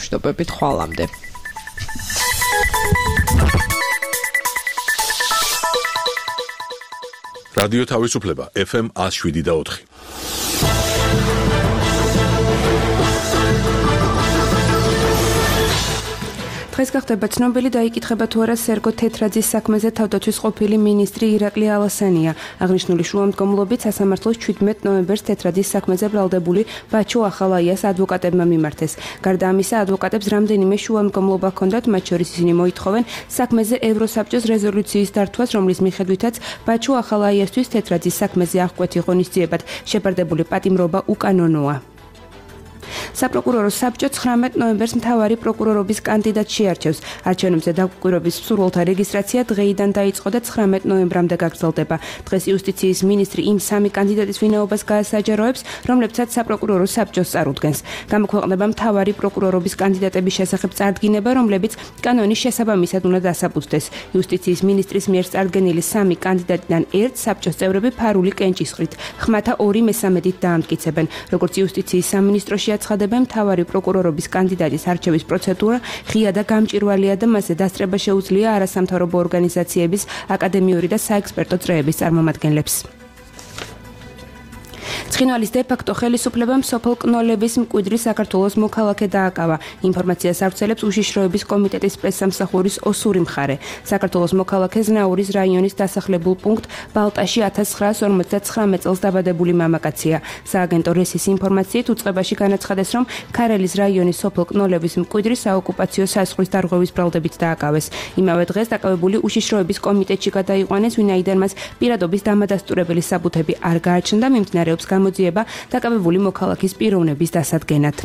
მშვიდობებით ხვალამდე. რადიო თავისუფლება FM 107.4. დღეს გახდება ცნობილი და იკითხება თუ არა სერგო თეთრაძის საქმეზე თავდაცვის ყოფილი მინისტრი ირაკლი ალასანია. აღნიშნული შუამდგომლობით სასამართლოს 17 ნოემბერს თეთრაძის საქმეზე ბრალდებული ბაჩო ახალაიას ადვოკატებმა მიმართეს. გარდა ამისა, ადვოკატებს რამდენიმე შუამდგომლობა ჰქონდათ, მათ შორის ისინი მოითხოვენ საქმეზე ევროსაბჭოს რეზოლუციის დართვას, რომლის მიხედვითაც ბაჩო ახალაიასთვის თეთრაძის საქმეზე აღკვეთი ღონისძიებად შეპარდებული პატიმრობა უკანონოა. საპროკურორო საბჭო 19 ნოემბერს მთავარი პროკურორობის კანდიდატს შეარჩევს. არჩევნებზე დაკვირვების მსურველთა რეგისტრაცია დღეიდან დაიწყო და 19 ნოემბრამდე გაგრძელდება. დღეს იუსტიციის მინისტრი იმ სამი კანდიდატის ვინაობას გაასაჯაროებს, რომლებსაც საპროკურორო საბჭოს წარუდგენს. გამოქვეყნდება მთავარი პროკურორობის კანდიდატების შესახებ წარდგინება, რომლებიც კანონის შესაბამისად უნდა დასაბუთდეს. იუსტიციის მინისტრის მიერ წარდგენილი სამი კანდიდატიდან ერთ საბჭოს წევრები ფარული კენჭისყრით, ხმათა 2/3-ით დაამტკიცებენ. როგორც იუსტიციის სამინისტროში აცხადებენ, მთავარი პროკურორობის კანდიდატის არჩევის პროცედურა ღია და გამჭვირვალეა და მასზე დასწრება შეუძლია არასამთავრობო ორგანიზაციების, აკადემიური და საექსპერტო წრეების წარმომადგენლებს. ცხინვალის დე-ფაქტო ხელისუფლებამ სოფელ კნოლების მკვიდრი საქართველოს მოქალაქე დააკავა. ინფორმაციას ავრცელებს უშიშროების კომიტეტის პრესსამსახურის ოსური მხარე. საქართველოს მოქალაქე ზნაურის რაიონის დასახლებულ პუნქტ ბალტაში 1959 წელს დაბადებული მამაკაცია. სააგენტო რესის ინფორმაციით უწყებაში განაცხადეს, რომ ქარელის რაიონის სოფელ კნოლების მკვიდრი საოკუპაციო საზღვრის დარღვევის ბრალდებით დააკავეს. იმავე დღეს დაკავებული უშიშროების კომიტეტში გადაიყვანეს, ვინაიდან მას პირადობის დამადასტურებელი საბუთები არ გააჩნდა, მიმდინარეობს გამოძიება დაკავებული მოქალაქის პიროვნების დასადგენად.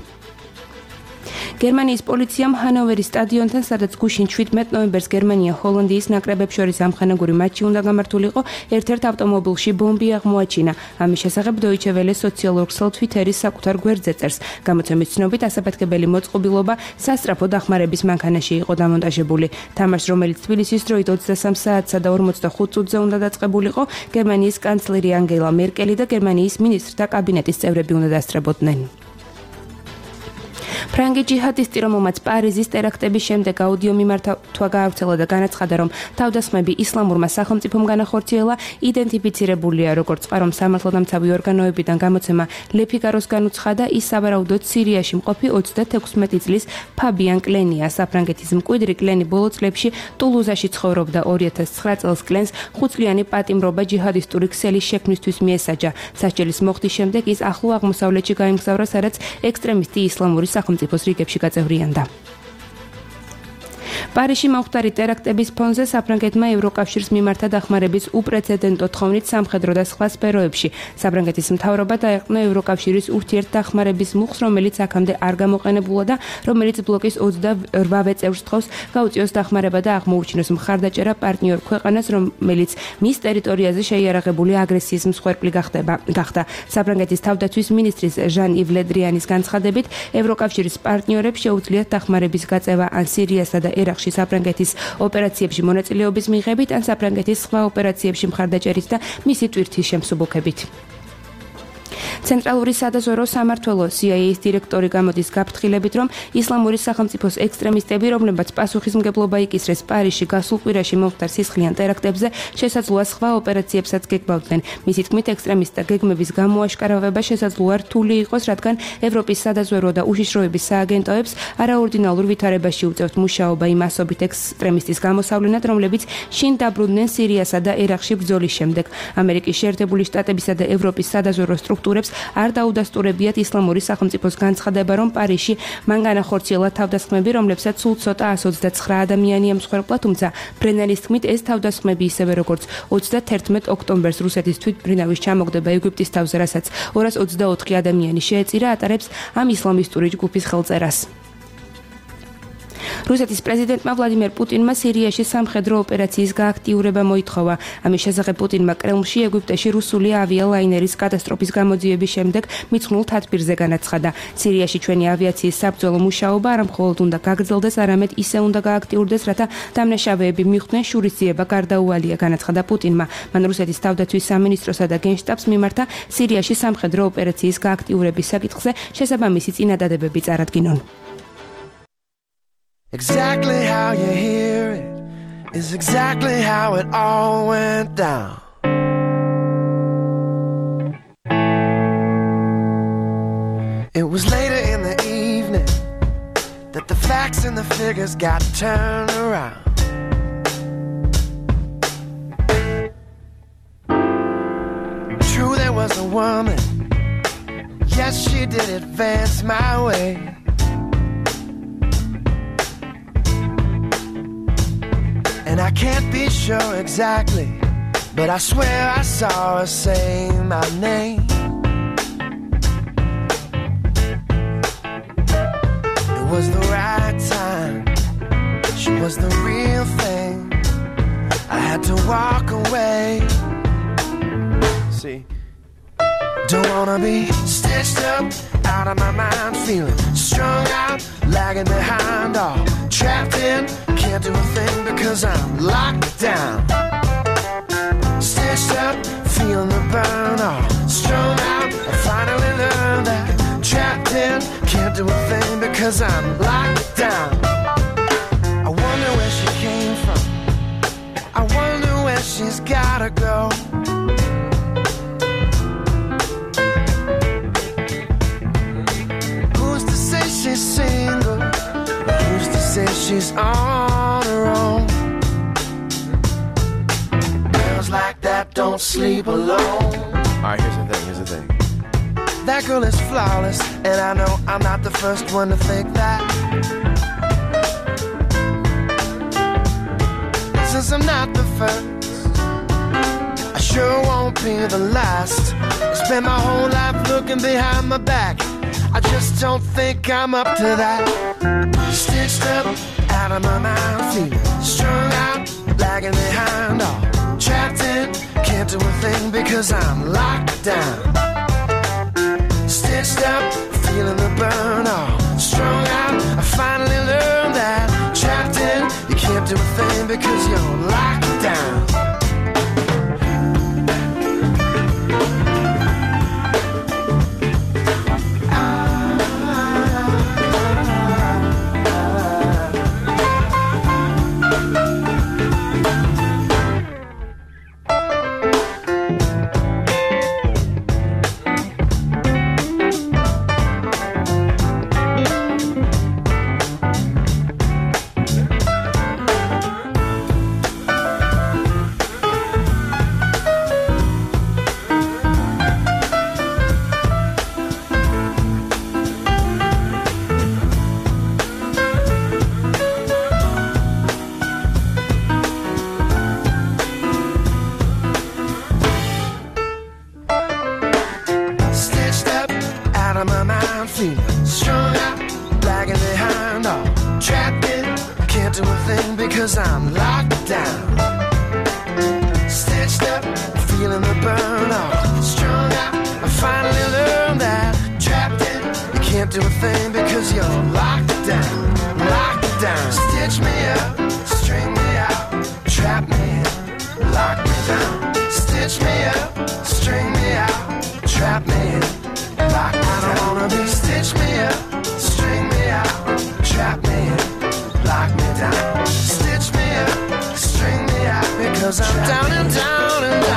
გერმანიის პოლიციამ ჰანოვერის სტადიონთან, სადაც გუშინ 17 ნოემბერს გერმანია ჰოლანდიის ნაკრებებს შორის ამხანაგური მატჩი უნდა გამართულიყო, ერთ-ერთ ავტომობილში ბომბი აღმოაჩინა. ამის შესახებ Deutsche Welle სოციალურ ქსელ Twitteris საკუთარ გვერდზე წერს. გამოცემის ცნობით, ასაფეთქებელი მოწყობილობა სასწრაფო დახმარების მანქანაში იყო დამონტაჟებული. თამაშს, რომელიც თბილისის დროით 23 საათსა და 45 წუთზე უნდა დაწყებულიყო, გერმანიის კანცლერი ანგელა მერკელი და გერმანიის მინისტრთა კაბინეტის წევრები უნდა დასწრებოდნენ. ფრანგი ჯიჰადისტი, რომელმაც პარიზის ტერაქტების შემდეგ აუდიო მიმართვა გაავრცელა და განაცხადა, რომ თავდასხმები ისლამურმა სახელმწიფომ განახორციელა, იდენტიფიცირებულია როგორც ყარომ სამართალდამცავი ორგანოებიდან. გამოცემა Le Figaro-ს განუცხადა, ის სავარაუდოდ სირიაში მყოფი 36 წლის ფაბიან კლენია. საფრანგეთის მკვიდრი კლენი ბოლო წლებში ტულუზაში ცხოვრობდა. 2009 წელს კლენს 5 წლიანი პატიმრობა ჯიჰადისტური ქსელის შექმნისთვის მიესაჯა. სასჯელის მოხდის შემდეგ ის ახლო აღმოსავლეთში გაემგზავრა, სადაც ექსტრემისტი ისლამური სახელმწიფოს რიგებში გაწევრიანდა. პარიზში მომხდარი ტერაქტების ფონზე საფრანგეთმა ევროკავშირის მიმართა დახმარების უპრეცედენტო თხოვნით სამხედრო და სხვა სფეროებში. საფრანგეთის მთავრობა დაეყრდნო ევროკავშირის ურთიერთდახმარების მუხს, რომელიც აქამდე არ გამოყენებულა და რომელიც ბლოკის 28 წევრს თხოვს გაუწიოს დახმარება და აღმოუჩინოს მხარდაჭერა პარტნიორ ქვეყანას, რომელიც მის ტერიტორიაზე შეიარაღებული აგრესიის მსხვერპლი გახდა. საფრანგეთის თავდაცვის მინისტრის ჟან-ივ ლე დრიანის განცხადებით, ევროკავშირის პარტნიორებს შეუძლიათ დახმარების გაწევა ან სირიასა და ერაყში საფრანგეთის ოპერაციებში მონაწილეობის მიღებით, ან საფრანგეთის სხვა ოპერაციებში მხარდაჭერით და მისი ტვირთის შემსუბუქებით. ცენტრალური სადაზვერვო სამმართველო CIA-ის დირექტორი გამოდის გაფრთხილებით, რომ ისლამური სახელმწიფოს ექსტრემისტები, რომლებმაც პასუხისმგებლობა იკისრეს პარიზში გასულ კვირაში მომხდარ სისხლიან ტერაქტებზე, შესაძლოა სხვა ოპერაციებსაც გეგმავდნენ. მისი თქმით, ექსტრემისტთა გეგმების გამოაშკარავება შესაძლოა რთული იყოს, რადგან ევროპის სადაზვერვო და უშიშროების სააგენტოებს არაორდინალურ ვითარებაში უწევთ მუშაობა იმ ასობით ექსტრემისტის გამოსავლენად, რომლებიც შინ დაბრუნდნენ სირიასა და ერაყში ბრძოლის შემდეგ. ამერიკის შეერთებული შტატებისა და ევროპის სადაზვერვო სტრუქტურებს არ დაუდასტურებიათ ისლამური სახელმწიფოს განცხადება, რომ პარიზში მან განახორციელა თავდასხმები, რომლებსაც სულ ცოტა 129 ადამიანია მსხვერპლა, თუმცა ბრენერის თქმით, ეს თავდასხმები ისევე როგორც 31 ოქტომბერს რუსეთის თვითმფრინავის ჩამოგდება ეგვიპტის თავზე, რასაც 224 ადამიანი შეეწირა, ატარებს ამ ისლამისტური ჯგუფის ხელწერას. რუსეთის პრეზიდენტმა ვლადიმერ პუტინმა სირიაში სამხედრო ოპერაციის გააქტიურება მოითხოვა. ამის შესახებ პუტინმა კრემლში ეგვიპტეში რუსული ავიალაინერის კატასტროფის გამოძიების შემდეგ მიცხნულ თათბირზე განაცხადა. სირიაში ჩვენი ავიაციის საბრძოლო მუშაობა არა მხოლოდ უნდა გაგრძელდეს, არამედ ისე უნდა გააქტიურდეს, რათა დამნაშავეები მიხვდნენ შურისძიება გარდაუვალია, განაცხადა პუტინმა. მან რუსეთის თავდაცვის სამინისტროსა და გენშტაბს მიმართა სირიაში სამხედრო ოპერაციის გააქტიურების საკითხზე შესაბამისი წინადადებები წარადგინონ. Exactly how you hear it is exactly how it all went down. It was later in the evening that the facts and the figures got turned around. True, there was a woman. Yes, she did advance my way. And I can't be sure exactly, but I swear I saw her say my name. It was the right time. She was the real thing. I had to walk away. See, don't wanna be stitched up, out of my mind, feeling strung out, lagging behind, all trapped in. Can't do a thing because I'm locked down. Stitched up, feeling the burn, all strung out. I finally learned that trapped in. Can't do a thing because I'm locked down. I wonder where she came from. I wonder where she's gotta go. She's single, who's to say she's on her own? Girls like that don't sleep alone. Alright, here's the thing. That girl is flawless, and I know I'm not the first one to think that. Since I'm not the first, I sure won't be the last. I spend my whole life looking behind my back. I just don't think I'm up to that. Stitched up, out of my mind, feeling strung out, lagging behind, all trapped in. Can't do a thing because I'm locked down. Stitched up, feeling the burn, all strung out. I finally learned that trapped in. You can't do a thing because you're locked down. I'm locked down, stitched up, feeling the burn, all strung out. I finally learned that trapped in. You can't do a thing because you're locked down, locked down. Stitch me up, string me out, trap me in, lock me down. Stitch me up, string me out, trap me in, lock me down. I don't wanna be stitch me up, string me out, trap me in, lock me down. Stitch me up, string me out, because I'm down and down and down.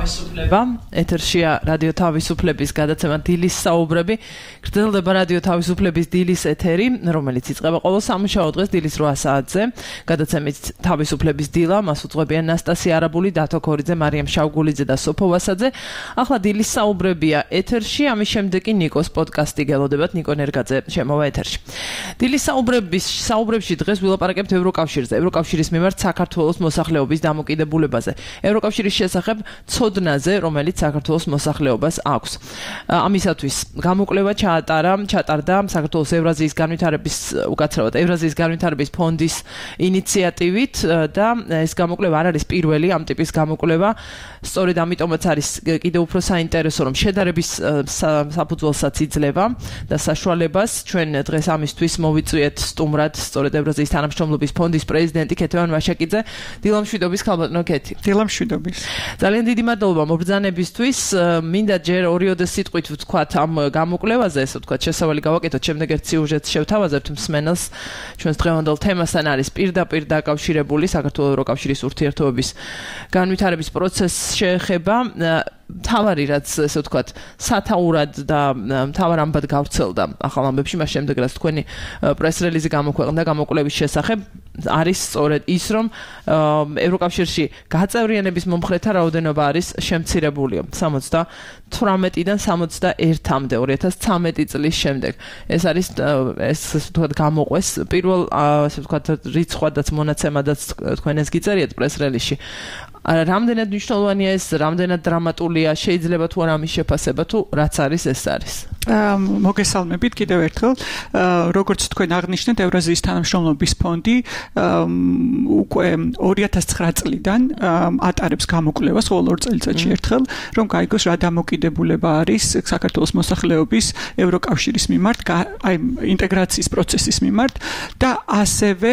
თავისუფლება ეთერშია რადიო თავისუფლების გადაცემა დილის საუბრები გრძელდება რადიო თავისუფლების დილის ეთერი რომელიც იწყება ყოველ სამუშაო დღეს დილის 8 საათზე გადაცემით თავისუფლების დილა მას უძღვებიან ნასტასია არაბული დათო ქორიძე მარიამ შავგულიძე და სოფო ვასაძე ახლა დილის საუბრებია ეთერში ამის შემდეგ კი ნიკოს პოდკასტი გელოდებათ ნიკო ნერგაძე შემოვა ეთერში დილის საუბრებში დღეს ვილაპარაკებთ ევროკავშირზე ევროკავშირის მიმართ საქართველოს მოსახლეობის დამოკიდებულებაზე ევროკავშირის შესახებ ცოდნაზე, რომელიც საქართველოს მოსახლეობას აქვს. ამისათვის გამოკვლევა ჩატარდა საქართველოს ევრაზიის განვითარების უკაცრავად ევრაზიის განვითარების ფონდის ინიციატივით და ეს გამოკვლევა არ არის პირველი ამ ტიპის გამოკვლევა. სწორედ ამიტომაც არის კიდევ უფრო საინტერესო, რომ შედარების საფუძველსაც იძლევა და საშუალებას ჩვენ დღეს ამისთვის მოვიწვიეთ სტუმრად სწორედ ევრაზიის თანამშრომლობის ფონდის პრეზიდენტი ქეთევან ვაშაკიძე. დილამშვიდობის ქალბატონო ქეთი. დილამშვიდობის. ძალიან დიდი მადლობა მობრძანებისთვის. მინდა ჯერ ორიოდეს სიტყვით ვთქვათ ამ გამოკვლევაზე, ესე ვთქვათ, შესავალი გავაკეთოთ, შემდეგ ერთ სიუჟეტს შევთავაზებთ მსმენელს. ჩვენს დღევანდელ თემასთან არის პირდაპირ დაკავშირებული საქართველოს ევროკავშირის ურთიერთობების განვითარების პროცესს შეეხება. თავარი რაც ესე ვთქვათ სათაურად და თავარ ამბად გავრცელდა ახალ ამბებში მას შემდეგ რაც თქვენი პრეს-რელიზი გამოქვეყნდა გამოკვლევის შესახებ არის სწორედ ის რომ ევროკავშირში გაწევრიანების მომხრეთა რაოდენობა არის შემცირებული 78-დან 61-მდე 2013 წლის შემდეგ ეს არის ესე ვთქვათ გამოყვეს პირველ ესე ვთქვათ რიცხვადაც მონაცემადაც თქვენ ეს გიწერიეთ პრეს-რელიზში რამდენად მნიშვნელოვანია ეს, რამდენად დრამატულია, შეიძლება თუ არა ამის შეფასება თუ რაც არის ეს არის. მოგესალმებით კიდევ ერთხელ. როგორც თქვენ აღნიშნეთ, ევრაზიის თანამშრომლობის ფონდი უკვე 2009 წლიდან ატარებს გამოკვლევას ყოველ 2 წელიწადში ერთხელ, რომ გაიგოს რა დამოკიდებულება არის საქართველოს მოსახლეობის ევროკავშირის მიმართ, აი ინტეგრაციის პროცესის მიმართ და ასევე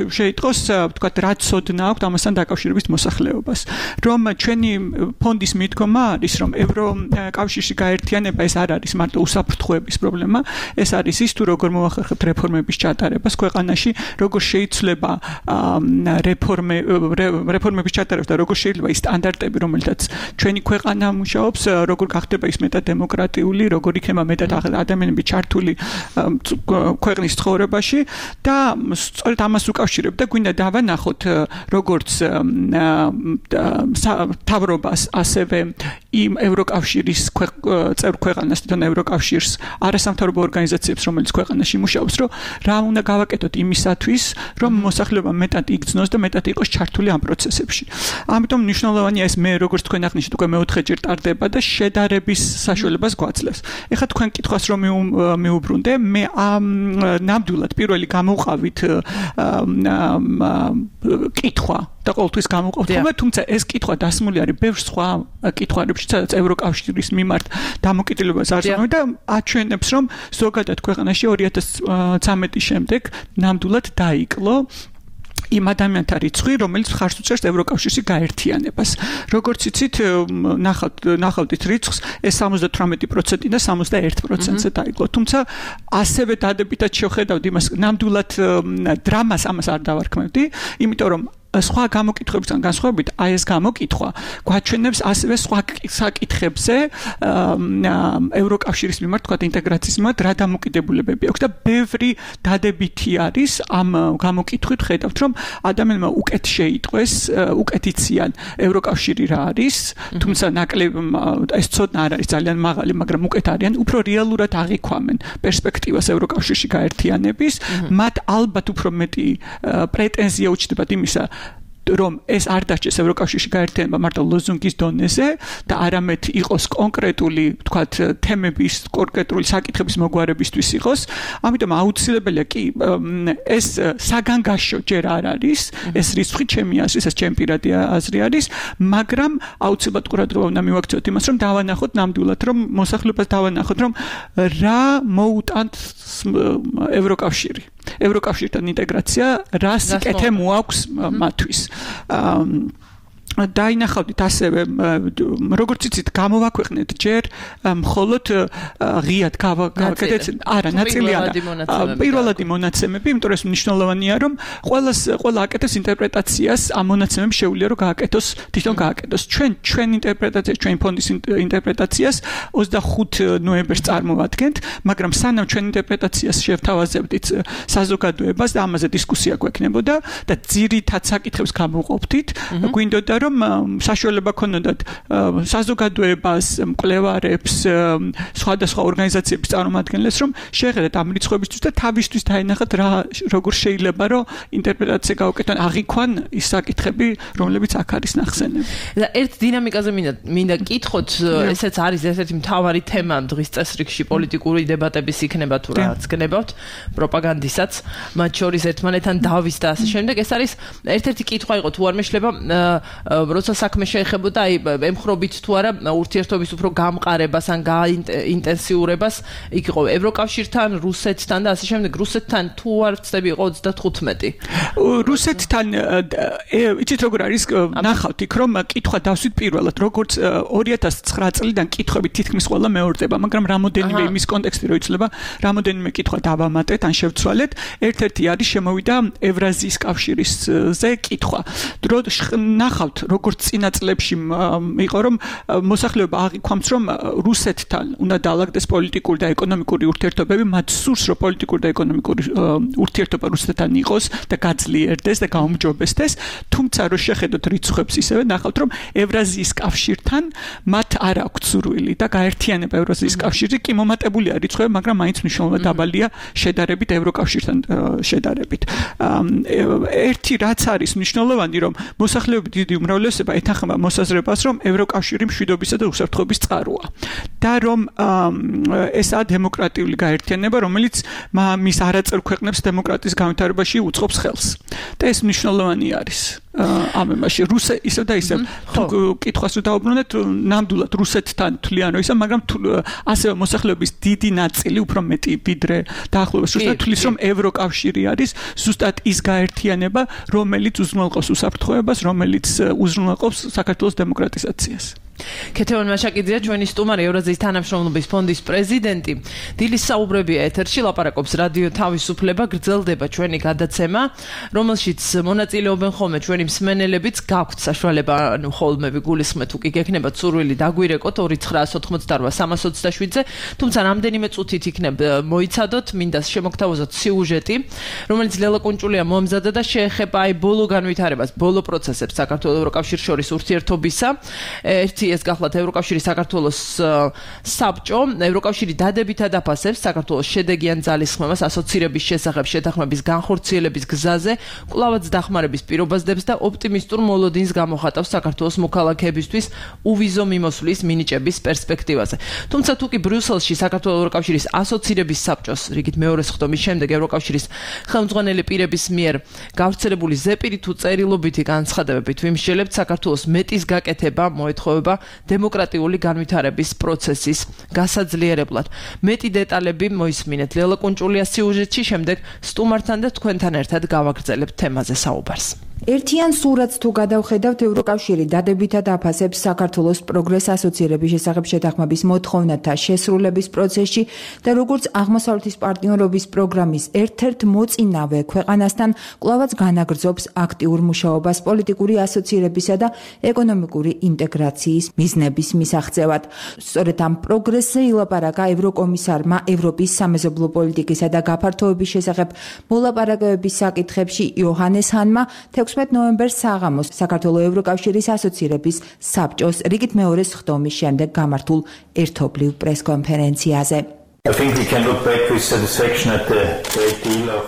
შეიტყოს, ვთქვათ, რა ცოდნა აქვს ამასთან დაკავშირებით მოსახლეობას. რომ ჩვენი ფონდის მიდგომა არის, რომ ევროკავშირში გაერთიანება ეს არ არის მარტო უსაფრთხოების პრობლემა, ეს არის ის თუ როგორ მოახერხებთ რეფორმების ჩატარებას ქვეყანაში, როგორ შეიძლება რეფორმების ჩატარებას და როგორ შეიძლება ის სტანდარტები, რომელთაც ჩვენი ქვეყანა მუშაობს, როგორ გახდება ის მეტად დემოკრატიული, როგორ იქნება მეტად ადამიანები ჩართული ქვეყნის ცხოვრებაში და სწორედ ამას უკავშირებდა გვინდა დავანახოთ როგორც თავრობას ასევე იმ ევროკავშირის წევრ ქვეყანას და ევროკავშირს არასამთავრობო ორგანიზაციებს რომელიც ქვეყანაში მუშაობს რომ რა უნდა გავაკეთოთ იმისათვის რომ მოსახლეობა მეტად იგრძნოს და მეტად იყოს ჩართული ამ პროცესებში. ამიტომ მნიშვნელოვანია ეს მე როგორც თქვენ აღნიშნეთ უკვე მეოთხეჯერ ტარდება და შედარების საშუალებას გვაძლევს. ეხლა თქვენ კითხვას რომ მეუბრუნდე მე ნამდვილად პირველი გამოვყავით კითხვა და ყოველთვის გამოვყავთ ხოლმე, თუმცა ეს კითხვა დასმული არის ბევრ სხვა კითხვებში, სადაც ევროკავშირის მიმართ დამოკიდებულებას არსებობს და აჩვენებს, რომ ზოგადად ქვეყანაში 2013 შემდეგ ნამდვილად დაიკლო იმ ადამიანთა რიცხვი, რომელიც ხარს უჭერს ევროკავშირში გაერთიანებას. როგორც იცით, ნახავთ რიცხვს, ეს 78%-დან 61%-ზე დაიკლო. თუმცა ასევე დადებითად შევხედავთ იმას, ნამდვილად დრამას ამას არ დავარქმევდი, იმიტომ რომ სხვა გამოკითხვებიდან განსხვავებით, აი ეს გამოკითხვა გვაჩვენებს ასევე სხვა საკითხებზე ევროკავშირის მიმართ, თქვა ინტეგრაციის მიმართ რა დამოკიდებულებები აქვს და ბევრი დადებითი არის ამ გამოკითხვით ხედავთ, რომ ადამიანმა უკეთ შეიტყვეს, უკეთ იციან ევროკავშირი რა არის, თუმცა ნაკლებ ეს ცოდნა არ არის ძალიან მაღალი, მაგრამ უკეთ არიან, უფრო რეალურად აღიქვამენ პერსპექტივას ევროკავშირში გაერთიანების, მათ ალბათ უფრო მეტი პრეტენზია უჩნდებათ იმისა რომ ეს არ დაჭდეს ევროკავშირში გაერთიანება მარტო ლოზუნგის დონეზე და არამედ იყოს კონკრეტული, ვთქვათ, თემების, კონკრეტული საკითხების მოგვარებისთვის იყოს. ამიტომ აუცილებელია კი ეს საგანგაშო ჯერ არ არის, ეს რიცხვი ჩემი აზრით, ეს ჩემი პირადი აზრი არის, მაგრამ აუცილებლად ყურადღება უნდა მივაქციოთ იმას, რომ დავანახოთ ნამდვილად, რომ მოსახლეობას დავანახოთ, რომ რა მოუტანთ ევროკავშირი. ევროკავშირთან ინტეგრაცია რა სიკეთე მოაქვს მათთვის. დაინახავდით ასევე როგორც იცით გამოვაქვეყნეთ ჯერ მხოლოდ ღიად გავაკეთეთ არა ნაწილიანი პირველადი მონაცემები იმიტომ რომ ეს მნიშვნელოვანია რომ ყველა აკეთებს ინტერპრეტაციას ამ მონაცემებს შეუძლია რომ თვითონ გააკეთოს ჩვენ ინტერპრეტაციას ჩვენ ფონდის ინტერპრეტაციას 25 ნოემბერს წარმოვადგენთ მაგრამ სანამ ჩვენ ინტერპრეტაციას შევთავაზებდით საზოგადოებას და ამაზე დისკუსია გვექნებოდა და ძირითად საკითხებს გამოვყოფდით გვინდოდა რომ საშუალება ქონოდათ საზოგადოებას, მკვლევარებს, სხვადასხვა ორგანიზაციების წარმომადგენლებს, რომ შეეხედათ ამ რიცხვებისთვის და თავისთვის დაენახათ როგორ შეიძლება რომ ინტერპრეტაცია გაუკეთონ, აღიქვან ის საკითხები, რომლებიც აქ არის ნახსენები. და ერთ დინამიკაზე მინდა კითხოთ, ესეც არის ერთ-ერთი მთავარი თემა დღის წესრიგში პოლიტიკური დებატების იქნება თუ რაც გნებავთ, პროპაგანდისაც, მათ შორის ერთმანეთთან დავის და ასე შემდეგ. ეს არის ერთ-ერთი კითხვა იყო თუ არ მეშლება როცა საქმე შეეხებოდა ემხრობით თუ არა ურთიერთობის უფრო გამყარებას ან გაინტენსიურებას იქ იყო ევროკავშირთან, რუსეთთან და ასე შემდეგ. რუსეთთან თუ არ ვცდები იყო 35. რუსეთთან იცით როგორ არის ნახავთ იქ რომ კითხვა დავსვით პირველად როგორც 2009 წლიდან კითხვები თითქმის ყველა მეორდება, მაგრამ რამოდენიმე იმის კონტექსტი რო იცლება, რამოდენიმე კითხვა დავამატეთ ან შევცვალეთ. ერთ-ერთი არის შემოვიდა ევრაზიის კავშირისზე კითხვა. ნახავთ როგორც წინა წლებში იყო რომ მოსახლეობა აღიქვამს რომ რუსეთთან უნდა დაალაგდეს პოლიტიკური და ეკონომიკური ურთიერთობები, მათ სურს რომ პოლიტიკური და ეკონომიკური ურთიერთობა რუსეთთან იყოს და გაძლიერდეს და გაუმჯობესდეს, თუმცა რო შეხედოთ რიცხვებს ისევე ნახავთ რომ ევრაზიის კავშირთან მათ არ აქვს სურვილი და გაერთიანება ევრაზიის კავშირზე კი მომატებულია რიცხვები, მაგრამ მაინც მნიშვნელოვნად დაბალია შედარებით ევროკავშირთან შედარებით. ერთი რაც არის მნიშვნელოვანი რომ მოსახლეობის დიდი უმრავლესობა ეთანხმება მოსაზრებას რომ ევროკავშირი მშვიდობისა და უსაფრთხოების წყაროა და რომ ესაა დემოკრატიული გაერთიანება რომელიც მის არაწევრ ქვეყნებს დემოკრატიის განვითარებაში უწყობს ხელს და ეს მნიშვნელოვანი არის ამ იმაში ისევ და ისევ თუ კითხვას რომ დაუბრუნდეთ ნამდვილად რუსეთთან თვლიან რომ ისა მაგრამ ასევე მოსახლეობის დიდი ნაწილი უფრო მეტი ვიდრე დაახლოებით ზუსტად თვლის რომ ევროკავშირი არის ზუსტად ის გაერთიანება რომელიც უზრუნველყოფს უსაფრთხოებას რომელიც უზრუნველყოფს საქართველოს დემოკრატიზაციას. ქეთევან მაშაკიძეა ჩვენი სტუმარი ევრაზიის თანამშრომლობის ფონდის პრეზიდენტი. დილის საუბრები ეთერში ლაპარაკობს რადიო თავისუფლება, გრძელდება ჩვენი გადაცემა, რომელშიც მონაწილეობენ ხოლმე ჩვენი მსმენელებიც, გაქვთ საშუალება ხოლმე გულისხმეთ თუ კი გექნებათ სურვილი დაგვირეკოთ 2988-327-ზე, თუმცა რამდენიმე წუთით იქნებ მოიცადოთ, მინდა შემოგთავაზოთ სიუჟეტი, რომელიც ლელა კუნჭულია მომზადა და შეეხება აი ბოლო განვითარებას, ბოლო პროცესებს საქართველოს ევროკავშირის შორის ურთიერთობისა. ეს გახლავთ ევროკავშირის საქართველოს საბჭო, ევროკავშირი დადებითად აფასებს საქართველოს შედეგიან ძალისხმევას ასოცირების შესახებ შეთანხმების განხორციელების გზაზე, კვლავაც დახმარების პირობას დებს და ოპტიმისტურ მოლოდინს გამოხატავს საქართველოს მოქალაქეებისთვის უვიზო მიმოსვლის მინიჭების პერსპექტივაზე. თუმცა თუ კი ბრიუსელში საქართველოს ევროკავშირის ასოცირების საბჭოს რიგით მეორე სხდომის შემდეგ ევროკავშირის ხელმძღვანელი პირების მიერ გავრცელებული ზეპირი თუ წერილობითი განცხადებებით ვიმსჯელებთ საქართველოს მეტის გაკეთება მოეთხოვება დემოკრატიული განვითარების პროცესის გასაძლიერებლად. მეტი დეტალები მოისმინეთ ლელა კუნჭულიას სიუჟეტში, შემდეგ სტუმართან და თქვენთან ერთად გავაგრძელებთ თემაზე საუბარს. ერთიან სურათს თუ გადავხედავთ, ევროკავშირი დადებითად აფასებს საქართველოს პროგრეს ასოცირების შესახებ შეთანხმების მოთხოვნათა შესრულების პროცესში და როგორც აღმოსავლეთის პარტნიორობის პროგრამის ერთ-ერთ მოწინავე ქვეყანასთან კვლავაც განაგრძობს აქტიურ მუშაობას პოლიტიკური ასოცირებისა და ეკონომიკური ინტეგრაციის მიზნების მისაღწევად. სწორედ ამ პროგრესზე ილაპარაკა ევროკომისარმა ევროპის სამეზობლო პოლიტიკისა და გაფართოების შესახებ მოლაპარაკებების საკითხებში იოჰანეს ჰანმა 16 ნოემბერს საღამოს საქართველოს ევროკავშირის ასოცირების საბჭოს რიგით მეორე სხდომის შემდეგ გამართულ ერთობლივ პრესკონფერენციაზე.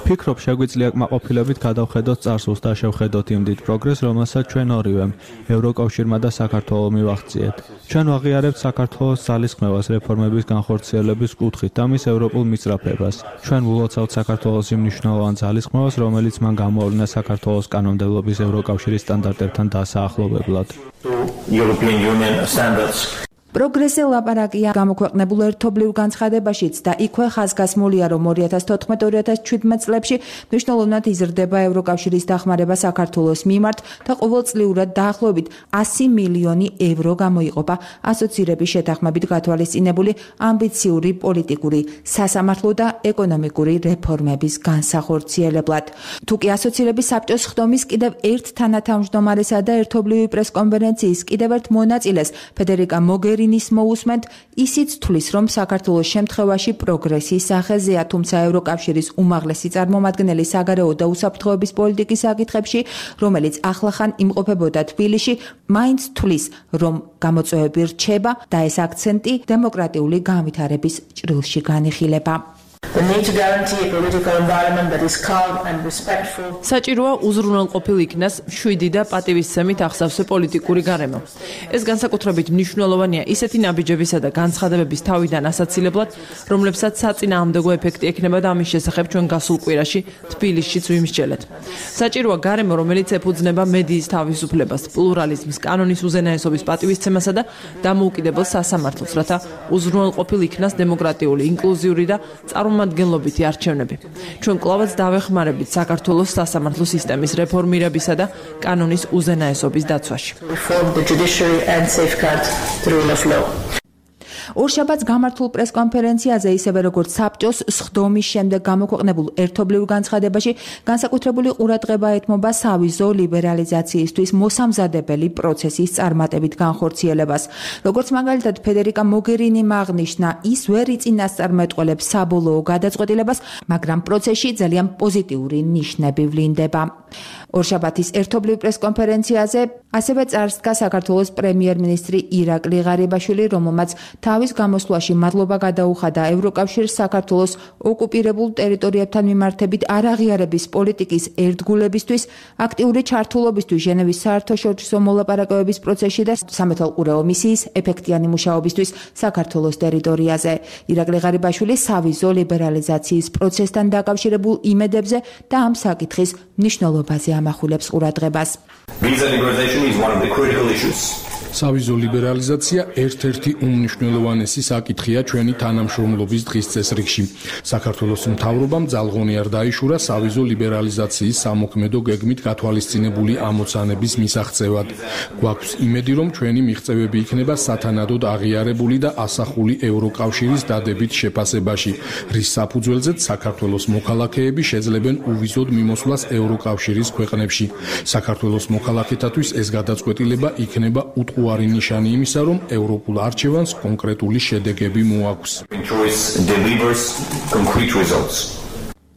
ფიქრობ, შეგვიძლია კმაყოფილებით გადავხედოთ წარსულს და შევხედოთ იმ დიდ პროგრესს, რომელსაც ჩვენ ორივემ, ევროკავშირმა და საქართველოს მივახციეთ. ჩვენ ვაღიარებთ საქართველოს ძალისხმევას რეფორმების განხორციელების კუთხით და მის ევროპულ მისწრაფებას. ჩვენ ვილოცავთ საქართველოს იმ მნიშვნელოვან ძალისხმევას, რომელიც მან გამოავლინა საქართველოს კანონმდებლობის ევროკავშირის სტანდარტებთან დასაახლოვებლად. პროგრესზე ლაპარაკია გამოქვეყნებულ ერთობლივ განცხადებაშიც და იქვე ხაზგასმულია, რომ 2014-2017 წლებში მნიშვნელოვნად იზრდება ევროკავშირის დახმარება საქართველოს მიმართ და ყოველწლიურად დაახლოებით 100 მილიონი ევრო გამოიყოფა ასოცირების შეთანხმებით გათვალისწინებული ამბიციური პოლიტიკური, სასამართლო და ეკონომიკური რეფორმების განსახორციელებლად. თუკი ასოცირების საბჭოს ხდომის კიდევ ერთ თანათავმჯდომარესა და ერთობლივი პრესკონფერენციის კიდევ ერთ მონაწილეს ფედერიკა მოგერინის მოусმენთ, ისიც თვლის, რომ საქართველოს შემთხვევაში პროგრესის სახეზეა, თუმცა ევროკავშირის უმაღლესი წარმომადგენელი საგარეო და უსაფრთხოების პოლიტიკის საკითხებში, რომელიც ახლახან იმყოფებოდა თბილისში, მაინც თვლის, რომ გამოწვევები რჩება და ეს აქცენტი დემოკრატიული განვითარების ჭრილში განიხილება. საჭიროა უზრუნველყოფილ იქნას მშვიდი და პატივისცემით ახსავსე პოლიტიკური გარემო. ეს განსაკუთრებით მნიშვნელოვანია ისეთი ნაბიჯებისა და განცხადებების თავიდან ასაცილებლად, რომლებსაც საწინააღმდეგო ეფექტი ექნება და ამის შესახებ ჩვენ გასულ კვირაში თბილისშიც ვიმსჯელეთ. საჭიროა გარემო, რომელიც ეფუძნება მედიის თავისუფლებას, პლურალიზმს, კანონის უზენაესობის პატივისცემასა და დამოუკიდებელ სასამართლოს, რათა უზრუნველყოფილ იქნას დემოკრატიული, ინკლუზიური და წარმომადგენლობითი არჩევნები. ჩვენ კვლავაც დავეხმარებით საქართველოს სასამართლო სისტემის რეფორმირებისა და კანონის უზენაესობის დაცვაში. ორშაბათს გამართულ პრესკონფერენციაზე, ისევე როგორც საბჭოს სხდომის შემდეგ გამოქვეყნებულ ერთობლივ განცხადებაში, განსაკუთრებული ყურადღება ეთმობა სავიზო ლიბერალიზაციისთვის მოსამზადებელი პროცესის წარმატებით განხორციელებას. როგორც მაგალითად ფედერიკა მოგერინიმ აღნიშნა, ის ვერ იწინასწარმეტყველებს საბოლოო გადაწყვეტილებას, მაგრამ პროცესში ძალიან პოზიტიური ნიშნები ვლინდება. ორშაბათის ერთობლივ პრესკონფერენციაზე ასევე წარსდგა საქართველოს პრემიერ-მინისტრი ირაკლი ღარიბაშვილი, რომელმაც თავის გამოსვლაში მადლობა გადაუხადა ევროკავშირს საქართველოს ოკუპირებულ ტერიტორიებთან მიმართებით არაღიარების პოლიტიკის ერთგულებისთვის, აქტიური ჩართულობისთვის ჟენევის საერთაშორისო მოლაპარაკებების პროცესში და სამეთვალყურეო მისიის ეფექტიანი მუშაობისთვის საქართველოს ტერიტორიაზე. ირაკლი ღარიბაშვილი სავიზო ლიბერალიზაციის პროცესთან დაკავშირებულ იმედებზე და ამ საკითხის მნიშვნელობაზე ამახვილებს ყურადღებას. სავიზო ლიბერალიზაცია ერთ-ერთი უმნიშვნელოვანესი საკითხია ჩვენი თანამშრომლობის დღის წესრიგში. საქართველოს მთავრობამ ძალღონი არ დაიშურა სავიზო ლიბერალიზაციის სამოქმედო გეგმით გათვალისწინებული ამოცანების მისაღწევად. გვაქვს იმედი, რომ ჩვენი მიღწევები იქნება სათანადოდ აღიარებული და ასახული ევროკავშირის დადებით შეფასებაში, რის საფუძველზეც საქართველოს მოქალაქეები შეძლებენ უვიზოდ მიმოსვლას ევროკავშირის ქვეყნებში. საქართველოს მოქალაქეთათვის ეს გადაწყვეტილება იქნება უთუარი ნიშანი იმისა, რომ ევროპულ არჩევანს კონკრეტული შედეგები მოაქვს.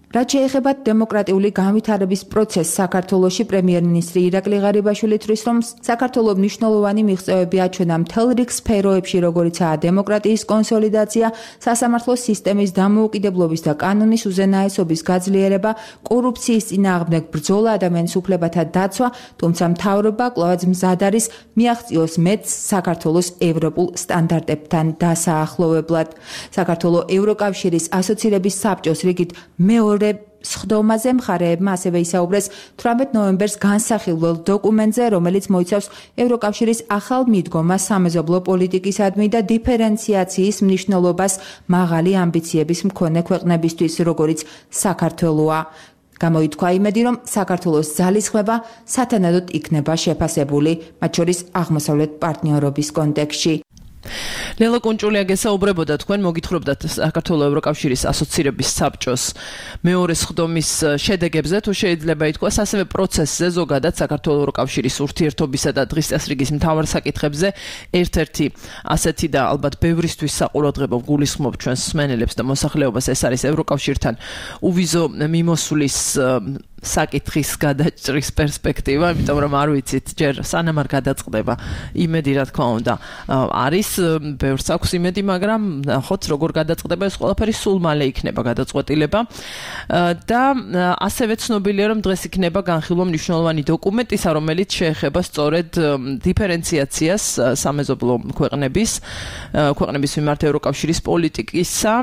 რაც შეეხება დემოკრატიული განვითარების პროცესს საქართველოში, პრემიერ-მინისტრი ირაკლი ღარიბაშვილი თვლის, რომ საქართველოს მნიშვნელოვანი მიღწევები აჩვენა მთელ რიგ სფეროებში, როგორიცაა დემოკრატიის კონსოლიდაცია, სასამართლო სისტემის დამოუკიდებლობის და კანონის უზენაესობის გაძლიერება, კორუფციის წინააღმდეგ ბრძოლა, ადამიანის უფლებათა დაცვა, თუმცა მთავრობა კვლავაც მზად არის მიაღწიოს მეტს საქართველოს ევროპულ სტანდარტებთან დასაახლოვებლად. საქართველოს ევროკავშირის ასოცირების საბჭოს რიგით მეორე სხდომაზე მხარეებმა ასევე ისაუბრეს 18 ნოემბერს განსახილველ დოკუმენტზე, რომელიც მოიცავს ევროკავშირის ახალ მიდგომას სამეზობლო პოლიტიკისადმი და დიფერენციაციის მნიშვნელობას მაღალი ამბიციების მქონე ქვეყნებისთვის, როგორიც საქართველოა. გამოითქვა იმედი, რომ საქართველოს ძალისხმევა სათანადოდ იქნება შეფასებული, მათ შორის აღმოსავლეთ პარტნიორობის კონტექსტში. ლელა კონჭულია გესაუბრებოდა, თქვენ მოგითხრობდათ საქართველოს ევროკავშირის ასოცირების საბჭოს მეორე სხდომის შედეგებზე, თუ შეიძლება ითქვას, ასევე პროცესზე ზოგადად საქართველოს ევროკავშირის ურთიერთობისა და დღის წესრიგის მთავარ საკითხებზე ერთ-ერთი ასეთი და ალბათ ბევრისთვის საყურადღებო გულისხმობ ჩვენს მსმენელებს და მოსახლეობას, ეს არის ევროკავშირთან უვიზო მიმოსვლის საკითხის გადაჭრის პერსპექტივა, იმიტომ რომ არ ვიცით ჯერ სანამ არ გადაწყდება იმედი, რა თქმა უნდა, არის ბევრს აქვს იმედი, მაგრამ ნახოთ როგორ გადაწყდება ეს ყველაფერი, სულ მალე იქნება გადაწყვეტილება და ასევე ცნობილია, რომ დღეს იქნება განხილვა მნიშვნელოვანი დოკუმენტისა, რომელიც შეეხება სწორედ დიფერენციაციას სამეზობლო ქვეყნების მიმართ ევროკავშირის პოლიტიკისა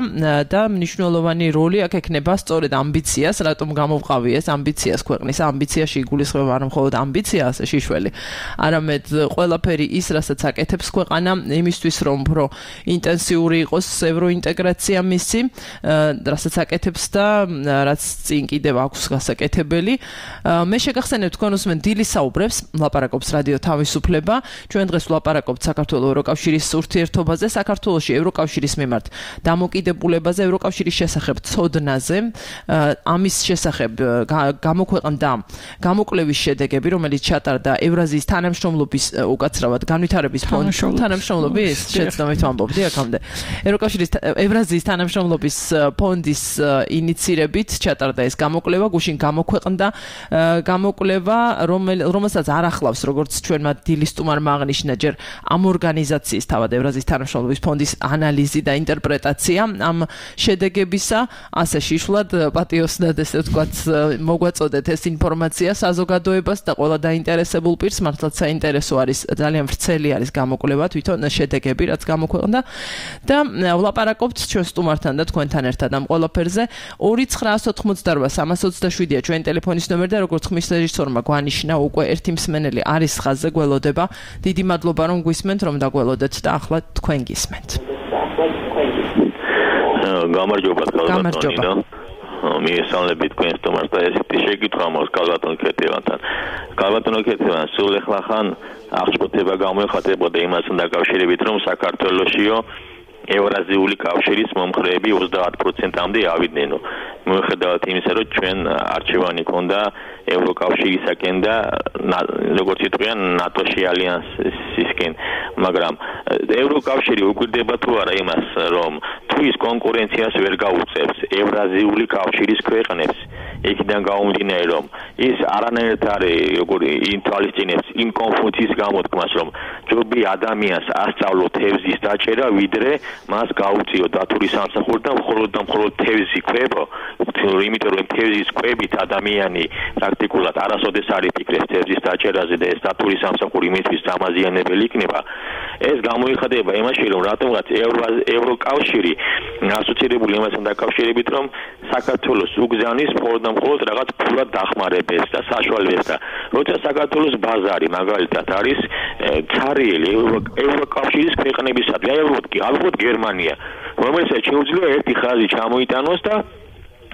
და მნიშვნელოვანი როლი აქ ექნება სწორედ ამბიციას, რატომ გამოვყავი ეს ამბიციას ქვეყნის ამბიციაში იგულისხმება არა მხოლოდ ამბიცია ასე შიშველი, არამედ ყველაფერი ის, რასაც აკეთებს ქვეყანა იმისთვის, რომ უფრო ინტენსიური იყოს ევროინტეგრაცია მისი, რასაც აკეთებს და რაც წინ კიდევ აქვს გასაკეთებელი. მე შეგახსენებ თქვენ უსმენთ დილის საუბრებს, ლაპარაკობს რადიო თავისუფლება. ჩვენ დღეს ვლაპარაკობთ საქართველოს ევროკავშირის ურთიერთობაზე, საქართველოში ევროკავშირის მიმართ დამოკიდებულებაზე, ევროკავშირის შესახებ ცოდნაზე, ამის შესახებ გამოქვეყნდა გამოკვლევის შედეგები, რომელიც ჩატარდა ევრაზიის თანამშრომლობის უკაცრავად განვითარების თანამშრომლობის შეცდომით ვამბობდი აქამდე. ევრაზიის თანამშრომლობის ფონდის ინიცირებით ჩატარდა ეს გამოკვლევა, გუშინ გამოქვეყნდა გამოკვლევა, რომელსაც არ ახლავს, როგორც ჩვენმა დილის სტუმარმა აღნიშნა, ჯერ ამ ორგანიზაციის თავად ევრაზიის თანამშრომლობის ფონდის ანალიზი და ინტერპრეტაცია ამ შედეგებისა, ასე შიშვლად პატიოსნად ესე ვთქვათ მოგვაწოდეთ ეს ინფორმაცია საზოგადოებას და ყველა დაინტერესებულ პირს, მართლაც საინტერესო არის, ძალიან ვრცელი არის გამოკვლევა, თვითონ შედეგები, რაც გამოქვეყნდა და ვლაპარაკობთ ჩვენ სტუმართან და თქვენთან ერთად ამ ყველაფერზე. 2988327-ია ჩვენი ტელეფონის ნომერი და როგორც ხმის რეჟისორმა გვანიშნა, უკვე ერთი მსმენელი არის ხაზზე, გველოდება. დიდი მადლობა რომ გვისმენთ, რომ დაგველოდეთ და ახლა თქვენ გისმენთ. გამარჯობა. მიესალმებით თქვენ სტუმარს და ესეთი შეკითხვა მაქვს კალბატონ ქეთევანთან. კალბატონ ქეთევან სულ ეხლახან აღშფოთება გამოიხატებოდა იმასთან დაკავშირებით, რომ საქართველოსიო ევრაზიული კავშირის მომხრეები 30%-მდე ავიდნენ. მიუხედავად იმისა, რომ ჩვენ არჩევანი ქონდა ევროკავშირისაკენ და როგორც იტყვიან ნატოში ალიანსისკენ, მაგრამ ევროკავშირი უკვირდება თუ არა იმას, რომ თუ ის კონკურენციას ვერ გაუწევს ევრაზიული კავშირის ქვეყნებს, იქიდან გამომდინარე, რომ ის არანაირად არის როგორი ინთვალისწინებს იმ კონფუციის გამოთქმას, რომ ჯობი ადამიანს ასწავლო თევზის დაჭერა, ვიდრე მას გაუწიო დათური სამსახური და მხოლოდ თევზი კვებო, იმიტომ რომ თევზის კვებით ადამიანი პრაქტიკულად არასოდეს არ იფიქრებს თევზის დაჭერაზე და ეს დათური სამსახური მისთვის დამაზიანებელი იქნება. ეს გამოიხატება იმაში, რომ რატომღაც ევროკავშირი ასოცირებული იმასთან დაკავშირებით, რომ საქართველოს უგზავნის მხოლოდ რაღაც ფულად დახმარებებს და საშუალებებს და როცა საქართველოს ბაზარი მაგალითად არის ცარიელი ევროკავშირის ქვეყნებისადმი, ალბათ გერმანია, რომელსაც შეუძლია ერთი ხაზი ჩამოიტანოს და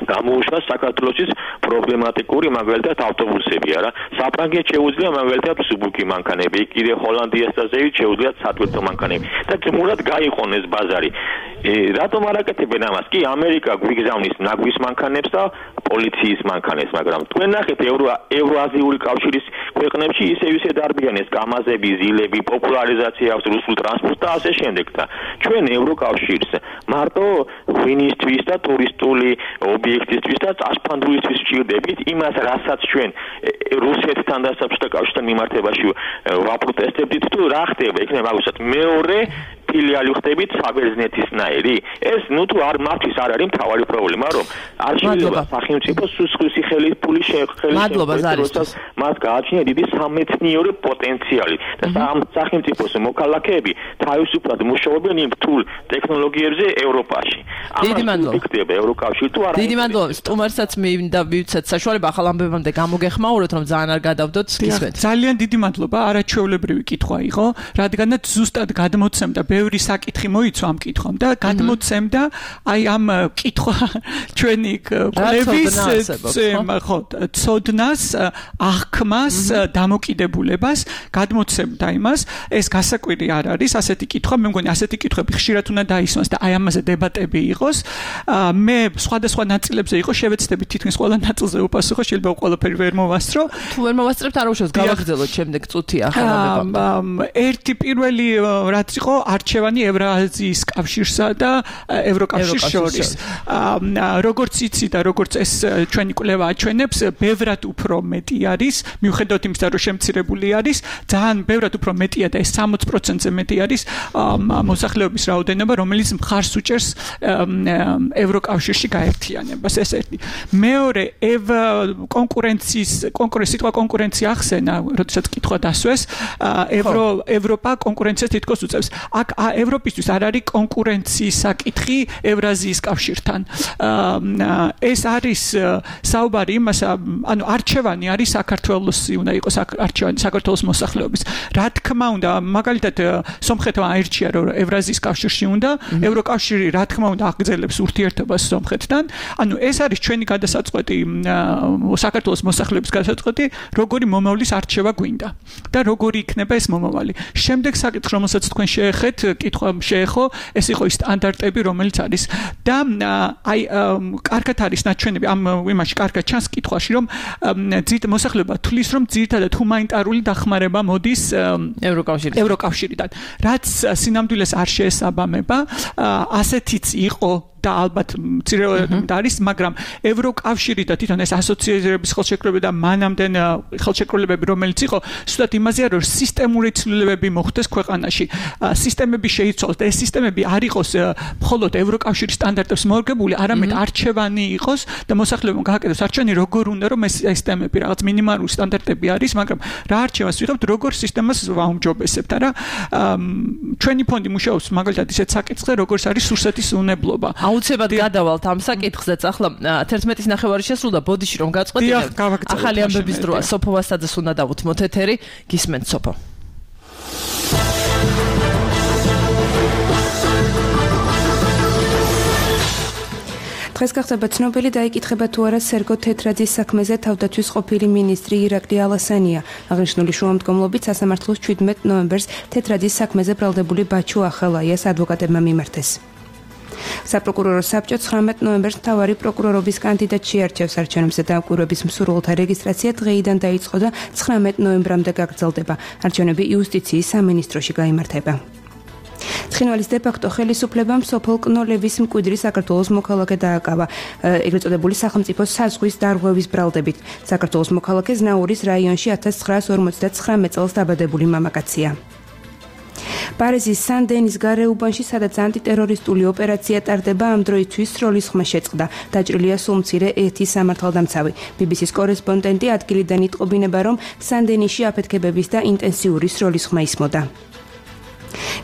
გამოუშვას საქართველოსის პრობლემატიკური მაგალითად ავტობუსები, არა? საფრანგეთს შეუძლია მაგალითად სუბუქი მანქანები, კიდე ჰოლანდიას და ზევით შეუძლიათ სატვირთო მანქანები და ძმურად გაიყონ ეს ბაზარი. რატომ არ აკეთებენ ამას? კი, ამერიკა გვიგზავნის ნაგვის მანქანებს და პოლიციის მანქანებს, მაგრამ თქვენ ნახეთ ევრაზიული კავშირის ქვეყნებში ისე დარბიან ეს კამაზები, ზილები, პოპულარიზაცია აქვს რუსულ ტრანსპორტს და ასე შემდეგ და ჩვენ ევროკავშირს მარტო ღვინისთვის და ტურისტული ობიექტისთვის და წასფანდულისთვის ვჭირდებით იმას, რასაც ჩვენ რუსეთთან და საბჭოთა კავშირთან მიმართებაში ვაპროტესტებდით, თუ რა ხდება, იქნება აუცილებლად მეორე ფილიალი ხდებით საბერძნეთისნაირი. ეს თუ არ მათთვის არ არის მთავარი პრობლემა, რომ არ შეიძლება სახელმწიფო სუსხვის ხელის ფული შეეხება, მას გააჩნია დიდი სამეცნიერო პოტენციალი და სახელმწიფოს მოქალაქეები თავისუფლად მუშაობენ იმ რთულ ტექნოლოგიებზე ევროპაში. დიდი მადლობა. იქნება ევროკავშირი თუ არა. დიდი მადლობა. სტუმარსაც მინდა მივცეთ საშუალება ახალ ამბებამდე გამოგეხმაუროთ, რომ ძალიან არ გადავდოთ გისმენთ. ძალიან დიდი მადლობა. არაჩვეულებრივი კითხვა იყო, რადგანაც ზუსტად გადმოცემდა ბევრი საკითხი მოიცვა ამ კითხვამ და გადმოცემდა აი ამ კითხვა ჩვენი კვლევის ცოდნას, აღქმას, დამოკიდებულებას გადმოცემდა იმას, ეს გასაკვირი არ არის, ასეთი კითხვა, მე მგონი ასეთი კითხვები ხშირად უნდა დაისვას და აი ამაზე დებატები იყოს. მე სხვადასხვა ნაწილებზე იყო შევეცდები თითქმის ყველა ნაწილზე უპასუხო, შეიძლება ყველაფერი ვერ მოვასწრო. თუ ვერ მოვასწრებთ, არ უშავს გავაგრძელოთ შემდეგ წუთი ახლა. ერთი პირველი რაც იყო არჩევანი ევრაზიის კავშირსა და ევროკავშირის შორის. როგორც იცი და როგორც ეს ჩვენი კვლევა აჩვენებს, ბევრად უფრო მეტი არის, მიუხედავად იმისა, რომ შემცირებული არის, ძალიან ბევრად უფრო მეტია და ეს 60%-ზე მეტი არის მოსახლეობის რაოდენობა, რომელიც მხარს უჭერს ევროკავშირში გაერთიანებას. ეს ერთი. მეორე, კონკურენცია ახსენა, როდესაც კითხვა დასვეს, ევროპა კონკურენციას თითქოს უწევს. აქ ევროპისთვის არ არის კონკურენციის საკითხი ევრაზიის კავშირთან. ეს არის საუბარი იმას, ანუ არჩევანი არის საქართველოსი უნდა იყოს არჩევანი საქართველოს მოსახლეობის. რა თქმა უნდა, მაგალითად სომხეთმა აირჩია რომ ევრაზიის კავშირში უნდა, ევროკავშირი რა თქმა უნდა აგრძელებს ურთიერთობას სომხეთთან. ანუ ეს არის ჩვენი გადასაწყვეტი საქართველოს მოსახლეობის გადასაწყვეტი, როგორი მომავლის არჩევა გვინდა და როგორი იქნება ეს მომავალი. შემდეგ საკითხი, რომელსაც თქვენ შეეხეთ, კითხვა შეეხო, ეს იყო ის სტანდარტები, რომელიც არის და აი კარგად არის ნაჩვენები ამ იმაში კარგად ჩანს კითხვაში, რომ მოსახლეობა თulis რომ ძირითადად ჰუმანიტარული დახმარება მოდის ევროკავშირიდან, რაც სინამდვილეს არ შეესაბამება, ასეთიც იყო და ალბათ მცირეოდენ არის, მაგრამ ევროკავშირი და თვითონ ეს ასოციაციების ხელშეკრულება და მანამდენ ხელშეკრულებები, რომელიც იყო, ზუსტად იმაზეა, რომ სისტემური ცვლილებები მოხდეს ქვეყანაში. სისტემები შეიცვალოს და ეს სისტემები არ იყოს მხოლოდ ევროკავშირის სტანდარტებს მორგებული, არამედ არჩევანი იყოს და მოსახლეობამ გააკეთოს არჩევანი, როგორ უნდა რომ ეს სისტემები რაღაც მინიმალური სტანდარტები არის, მაგრამ რა არჩევას ვიღებთ, როგორ სისტემას ვაუმჯობესებთ, არა? ჩვენი ფონდი მუშაობს მაგალითად ისეთ საკითხზე, როგორც არის სურსეთის უნებლობა. აუცილებლად გადავალთ ამ საკითხზეც. ახლა 11-ის ნახევარი შესრულდა, ბოდიში რომ გაწყვეტინებთ. ახალი ამბების დროა. სოფო ვასაძეს უნდა დავუთმოთ ეთერი. გისმენთ სოფო. დღეს გახდება ცნობილი დაიკითხება თუ არა სერგო თეთრაძის საქმეზე თავდაცვის ყოფილი მინისტრი ირაკლი ალასანია. აღნიშნული შუამდგომლობით სასამართლოს 17 ნოემბერს თეთრაძის საქმეზე ბრალდებული ბაჩუ ახალაიას ადვოკატებმა მიმართეს. საპროკურორო საბჭო 19 ნოემბერს მთავარი პროკურორობის კანდიდატ შეარჩევს. არჩევნებზე დამკვირვების მსურველთა რეგისტრაცია დღეიდან დაიწყო და 19 ნოემბრამდე გაგრძელდება. არჩევნები იუსტიციის სამინისტროში გაიმართება. ცხინვალის დე-ფაქტო ხელისუფლებამ სოფელ კნოლევის მკვიდრი საქართველოს მოქალაქე დააკავა, ეგრეთ წოდებული სახელმწიფო საზღვის დარღვევის ბრალდებით. საქართველოს მოქალაქე ზნაურის რაიონში 1959 წელს დაბადებული მამაკაცია. პარიზის სან-დენის გარეუბანში, სადაც ანტიტერორისტული ოპერაცია ტარდება, ამ დროისთვის სროლისხმა შეწყდა. დაჭრილია სულ მცირე ერთი სამართალდამცავი. BBC-ის კორესპონდენტი ადგილიდან იტყობინება, რომ სან-დენისში აფეთქებების და ინტენსიური სროლისხმა ისმოდა.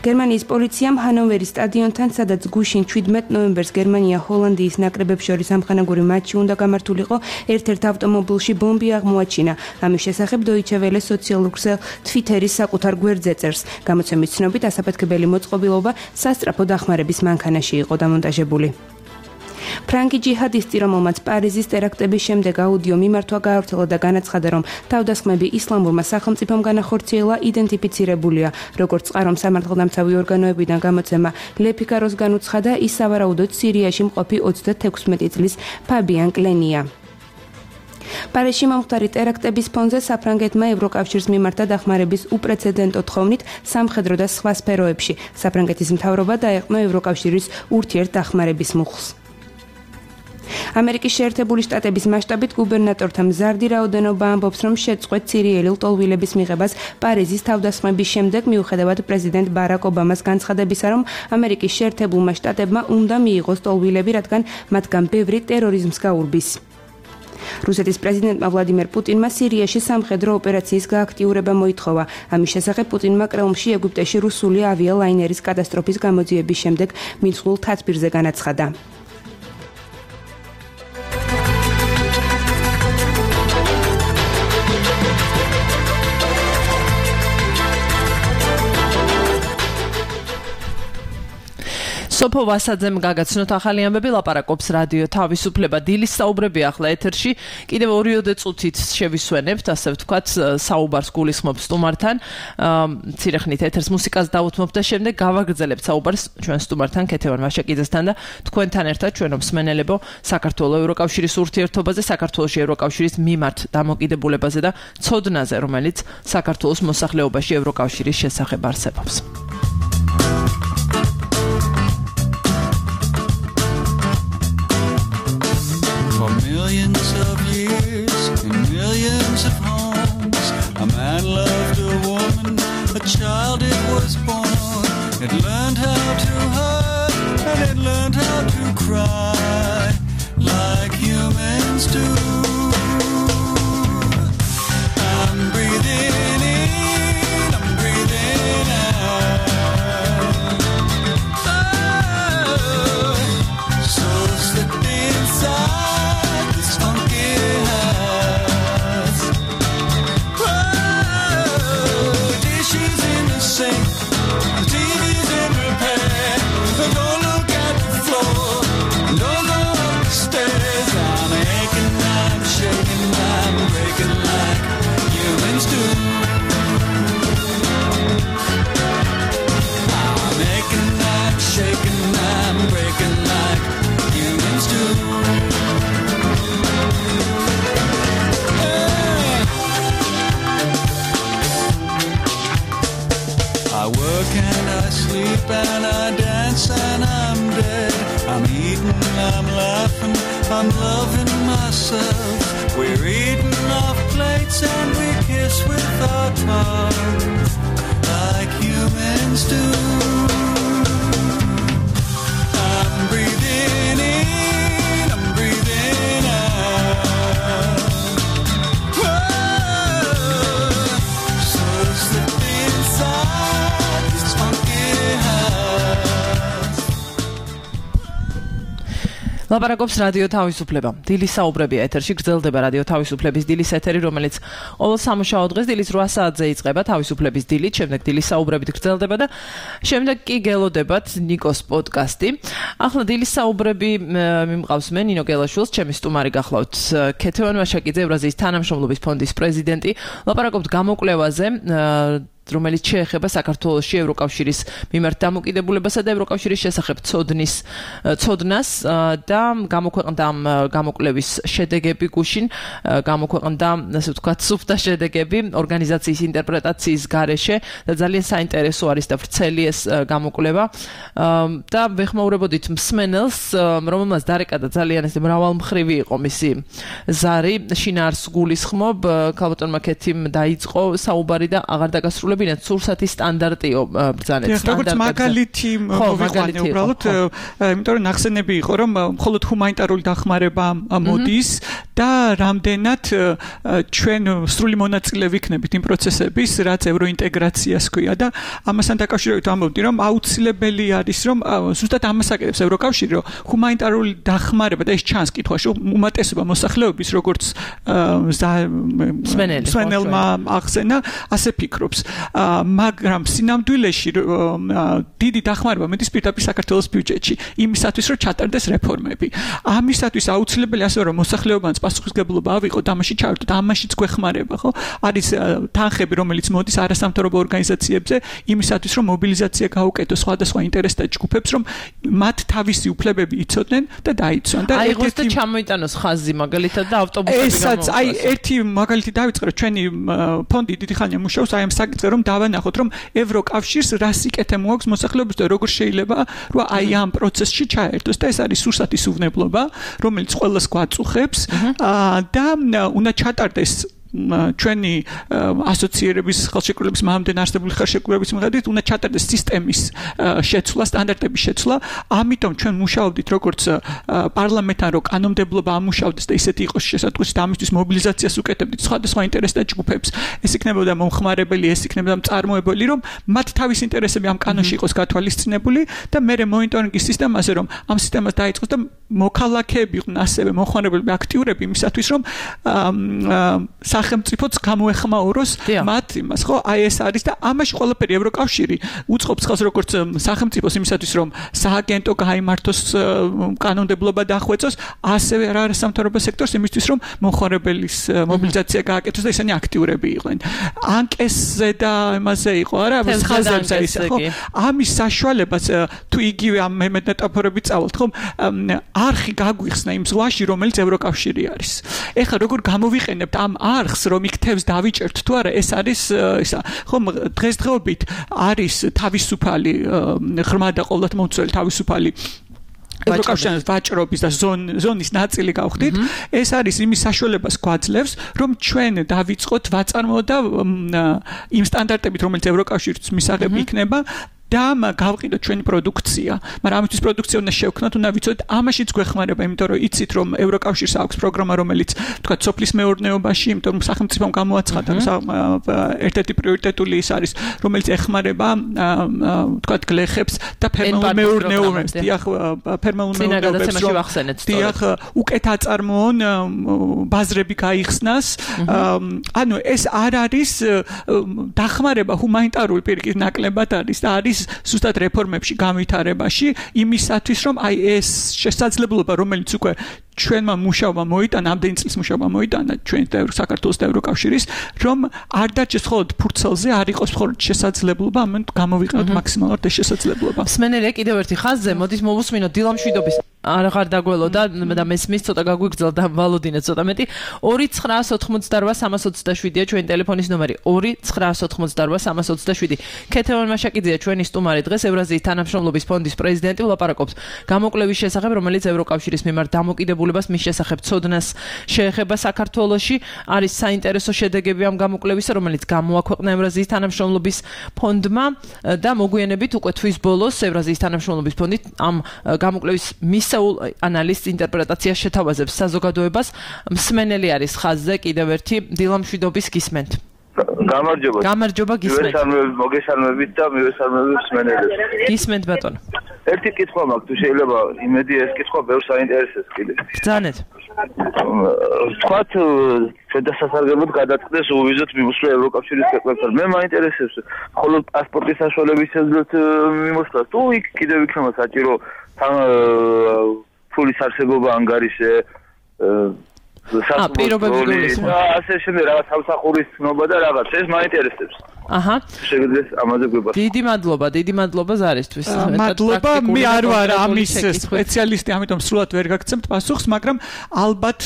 გერმანიის პოლიციამ ჰანოვერის სტადიონთან, სადაც გუშინ 17 ნოემბერს გერმანია ჰოლანდიის ნაკრებებს შორის ამხანაგური მატჩი უნდა გამართულიყო, ერთ-ერთ ავტომობილში ბომბი აღმოაჩინა. ამის შესახებ Deutsche Welle სოციალურ ქსელ Twitter-ის საკუთარ გვერდზე წერს. გამოცემის ცნობით, ასაფეთქებელი მოწყობილობა სასწრაფო დახმარების მანქანაში იყო დამონტაჟებული. ფრანგი ჯიჰადისტი, რომელმაც პარიზის ტერაქტების შემდეგ აუდიო მიმართვა გაავრცელა და განაცხადა, რომ თავდასხმები ისლამურმა სახელმწიფომ განახორციელა, იდენტიფიცირებულია. როგორც წყარომ სამართალდამცავი ორგანოებიდან გამოცემა ლეფიკაროს განუცხადა, ის სავარაუდოდ სირიაში მყოფი 36 წლის ფაბიან კლენია. პარიზში მომხდარი ტერაქტების ფონზე საფრანგეთმა ევროკავშირს მიმართა დახმარების უპრეცედენტო თხოვნით სამხედრო და სხვა სფეროებში. საფრანგეთის მთავრობა დაეყო ევროკავშირის ურთიერთდახმარების მუხლს. ამერიკის შეერთებული შტატების მასშტაბით გუბერნატორთა მზარდი რაოდენობა ამბობს, რომ შეწყვეტ სირიელი ლტოლვილების მიღებას პარიზის თავდასხმების შემდეგ, მიუხედავად პრეზიდენტ ბარაკ ობამას განცხადებისა, რომ ამერიკის შეერთებულმა შტატებმა უნდა მიიღოს ლტოლვილები, რადგან მათგან ბევრი ტერორიზმს გაურბის. რუსეთის პრეზიდენტმა ვლადიმერ პუტინმა სირიაში სამხედრო ოპერაციის გააქტიურება მოითხოვა. ამის შესახებ პუტინმა კრემლში ეგვიპტეში რუსული ავიალაინერის კატასტროფის გამოძიების შემდეგ მიცვლულ თათბირზე განაცხადა. სოფო ვასაძემ გაგაცნოთ ახალი ამბები, ლაპარაკობს რადიო თავისუფლება. დილის საუბრები ახლა ეთერში. კიდევ 2 წუთით შევისვენებთ, ასე ვთქვათ, საუბარს გულისხმობს სტუმართან. მცირე ხნით ეთერს მუსიკას დავუთმობთ და შემდეგ გავაგრძელებთ საუბარს ჩვენ სტუმართან ქეთევან ვაშაკიძესთან და თქვენთან ერთად ჩვენო მსმენელებო საქართველოს ევროკავშირის ურთიერთობაზე, საქართველოში ევროკავშირის მიმართ დამოკიდებულებაზე და ცოდნაზე, რომელიც საქართველოს მოსახლეობაში ევროკავშირის შესახებ არსებობს. Millions of years and millions of homes, a man loved a woman, a child it was born. It learned how to hurt and it learned how to cry like humans do. I'm breathing in, I'm breathing out. I'm loving myself. We're eating off plates and we kiss with our tongues like humans do. I'm breathing in, I'm breathing out. Whoa, so slip inside this funky house. ლაპარაკობს რადიო თავისუფლება. დილის საუბრები ეთერში გრძელდება რადიო თავისუფლების დილის ეთერი, რომელიც ყოველ სამუშაო დღეს დილის 8 საათზე იწყება თავისუფლების დილით, შემდეგ დილის საუბრებით გრძელდება და შემდეგ კი გელოდებათ ნიკოს პოდკასტი. ახლა დილის საუბრები მიმყავს მე ნინო გელაშვილს, ჩემი სტუმარი გახლავთ ქეთევან ვაშაკიძე, ევრაზიის თანამშრომლობის ფონდის პრეზიდენტი. ლაპარაკობთ გამოკვლევაზე, რომელიც შეეხება საქართველოში ევროკავშირის მიმართ დამოკიდებულებასა და ევროკავშირის შესახებ ცოდნას და გამოქვეყნდა ამ გამოკვლევის შედეგები გუშინ, გამოქვეყნდა, ასე ვთქვათ, სუფთა შედეგები ორგანიზაციის ინტერპრეტაციის გარეშე და ძალიან საინტერესო არის და ვრცელი ეს გამოკვლევა და ვეხმაურებოდით მსმენელს, რომელმაც დარეკა და ძალიან ესე მრავალმხრივი იყო მისი ზარი, შინაარს გულისხმობ, ქალბატონმა ქეთიმ დაიწყო საუბარი და აღარ დაგასრულებინათ სურსათის სტანდარტიო ბრძანეთ. როგორც მაგალითი მოვიყვანე უბრალოდ, იმიტომ რომ ნახსენები იყო, რომ მხოლოდ ჰუმანიტარული დახმარება მოდის და რამდენად ჩვენ სრული მონაწილე ვიქნებით იმ პროცესების, რაც ევროინტეგრაციას ქვია და ამასთან დაკავშირებით ამბობდი, რომ აუცილებელი არის, რომ ზუსტად ამას აკეთებს ევროკავშირი, რომ ჰუმანიტარული დახმარება და ეს ჩანს კითხვაში, უმეტესობა მოსახლეობის, როგორც მსმენელმა ახსენა, ასე ფიქრობს. მაგრამ სინამდვილეში დიდი დახმარება მედის პირდაპირ საქართველოს ბიუჯეტში იმისათვის რომ ჩატარდეს რეფორმები. ამისათვის აუცილებელი ასე რომ მოსახლეობაც პასუხისგებლობა ავიღოთ, ამაში ჩავერთოთ, ამაშიც გვეხმარება, ხო? არის თანხები, რომელიც მოდის არასამთავრობო ორგანიზაციებზე იმისათვის რომ მობილიზაცია გაუკეთოს სხვადასხვა ინტერესთა ჯგუფებს, რომ მათ თავისი უფლებები იცოდნენ და დაიცვან და აიღოს და ჩამოიტანოს ხაზი მაგალითად და ავტობუსები ესაც აი ერთი მაგალითი დავიწყე, ჩვენი ფონდი დიდი ხანია მუშაობს აი ამ საკითხზე, რომ დავანახოთ, რომ ევროკავშირს რას იკეთება აქვს მოსახლეობის და როგორ შეიძლება რომ აი ამ პროცესში ჩაერთოს და ეს არის სურსათის უვნებლობა, რომელიც ყველას გვაწუხებს და უნდა ჩატარდეს ჩვენი ასოციერების ხელშეკრულების მამდენ არსებული ხელშეკრულების მიხედვით უნდა ჩატარდეს სისტემის შეცვლა, სტანდარტების შეცვლა. ამიტომ ჩვენ მუშაობდით როგორც პარლამენტთან, რომ კანონმდებლობა ამუშავდეს და ისეთი იყოს შესაძლოა და ამისთვის მობილიზაციას უკეთებდით სხვადასხვა ინტერესთა ჯგუფებს. ეს იქნებოდა მომხმარებელი, ეს იქნებოდა მწარმოებელი, რომ მათ თავის ინტერესები ამ კანონში იყოს გათვალისწინებული და მერე მონიტორინგის სისტემაზე, რომ ამ სისტემას დაიწყოს და მოქალაქეები იყვნენ ასევე მომხმარებლები აქტიურები იმისათვის, რომ სახელმწიფოც გამოეხმაუროს მათ იმას, ხო? აი ეს არის და ამაში ყველაფერი ევროკავშირი უწყობს ხელს როგორც სახელმწიფოს იმისათვის, რომ სააგენტო გაიმართოს, კანონმდებლობა დახვეწოს, ასევე არასამთავრობო სექტორს იმისთვის, რომ მომხმარებლის მობილიზაცია გააკეთოს და ისინი აქტიურები იყვნენ. ანკესზე და იმაზე იყო, არა, ხაზებზე ისე, ხო? ამის საშუალებას თუ იგივე ამ მეტაფორებით წავალთ, ხო? არხი გაგვიხსნა იმ ზღვაში, რომელიც ევროკავშირი არის. ეხლა როგორ გამოვიყენებთ ამ არხს, რომ იქთებს დავიჭერთ თუ არა, ეს არის ისა, ხომ დღესდღეობით არის თავისუფალი ღრმა და ყოვლადმომცველი თავისუფალი ევროკავშირის ვაჭრობის და ზონის ნაწილი გავხდით. ეს არის იმის საშუალებას გვაძლევს, რომ ჩვენ დავიწყოთ ვაწარმოოთ და იმ სტანდარტებით, რომელიც ევროკავშირის მისაღები იქნება და გავყიდოთ ჩვენი პროდუქცია. მაგრამ ამისთვის პროდუქცია უნდა შევქმნათ, უნდა ვიცოდეთ, ამაშიც გვეხმარება, იმიტომ რომ იცით, რომ ევროკავშირს აქვს პროგრამა, რომელიც თქვა სოფლის მეურნეობაში, იმიტომ რომ სახელმწიფომ გამოაცხადა, ერთ-ერთი პრიორიტეტული ის არის, რომელიც ეხმარება თქვა გლეხებს და ფერმერულ მეურნეობებს. დიახ, ფერმერულ მეურნეობებს. დიახ, უკეთ აწარმოონ, ბაზრები გაიხსნას. ანუ ეს არ არის დახმარება ჰუმანიტარული პირიქით ნაკლებად არის და არის ზუსტად რეფორმებში განვითარებაში იმისათვის, რომ აი ეს შესაძლებლობა, რომელიც უკვე ჩვენმა მუშაობა მოიტანა, ამდენი წლის მუშაობა მოიტანა ჩვენ და საქართველოს და ევროკავშირის, რომ არ დაჭერს მხოლოდ ფურცელზე, არ იყოს მხოლოდ შესაძლებლობა, ამან გამოვიყენოთ მაქსიმალურად ეს შესაძლებლობა. მსმენელია კიდევ ერთი ხაზზე, მოდით მოვუსმინოთ დილამშვიდობის. აღარ დაგველო და მესმის ცოტა გაგვიგრძელდა ვალოდინე ცოტა მეტი. 2988327-ია ჩვენი ტელეფონის ნომერი. 2988327. ქეთევან ვაშაკიძეა ჩვენი სტუმარი დღეს, ევრაზიის თანამშრომლობის ფონდის პრეზიდენტი, ვლაპარაკობს გამოკვლევის შესახებ, რომელიც ევროკავშირის მიმართ დამოკიდებულებასა დაწესებულებას მის შესახებ ცოდნას შეეხება საქართველოში. არის საინტერესო შედეგები ამ გამოკვლევისა, რომელიც გამოაქვეყნა ევრაზიის თანამშრომლობის ფონდმა და მოგვიანებით უკვე თვის ბოლოს ევრაზიის თანამშრომლობის ფონდი ამ გამოკვლევის მისეულ ანალიზს ინტერპრეტაციას შეთავაზებს საზოგადოებას. მსმენელი არის ხაზზე კიდევ ერთი დილამშვიდობის გისმენთ. გამარჯობა გისმენთ. მოგესალმებით და მივესალმებით მსმენელებს. გისმენთ ბატონო. ერთი კითხვა მაქვს, თუ შეიძლება იმედი ეს კითხვა ბევრს საინტერესებს კიდე. ბრძანეთ. თქვათ შესაძლებლად გადაწყდეს უვიზოთ მიმოსვლა ევროკავშირის ქვეყნებთან. მე მაინტერესებს მხოლოდ პასპორტის საშუალების შესაძლებლად მიმოსვლა თუ იქ კიდევ იქნება საჭირო ფულის არსებობა ანგარიშზე პირობების გულისხმობა. ასე შემდეგ რაღაც სამსახურის ცნობა და რაღაც ეს მაინტერესებს. აჰა. შეგიძლიათ ამაზე გვიბა. დიდი მადლობა ზარისთვის. მადლობა, მე არ ვარ ამის სპეციალისტი, ამიტომ სრულად ვერ გაგცემთ პასუხს, მაგრამ ალბათ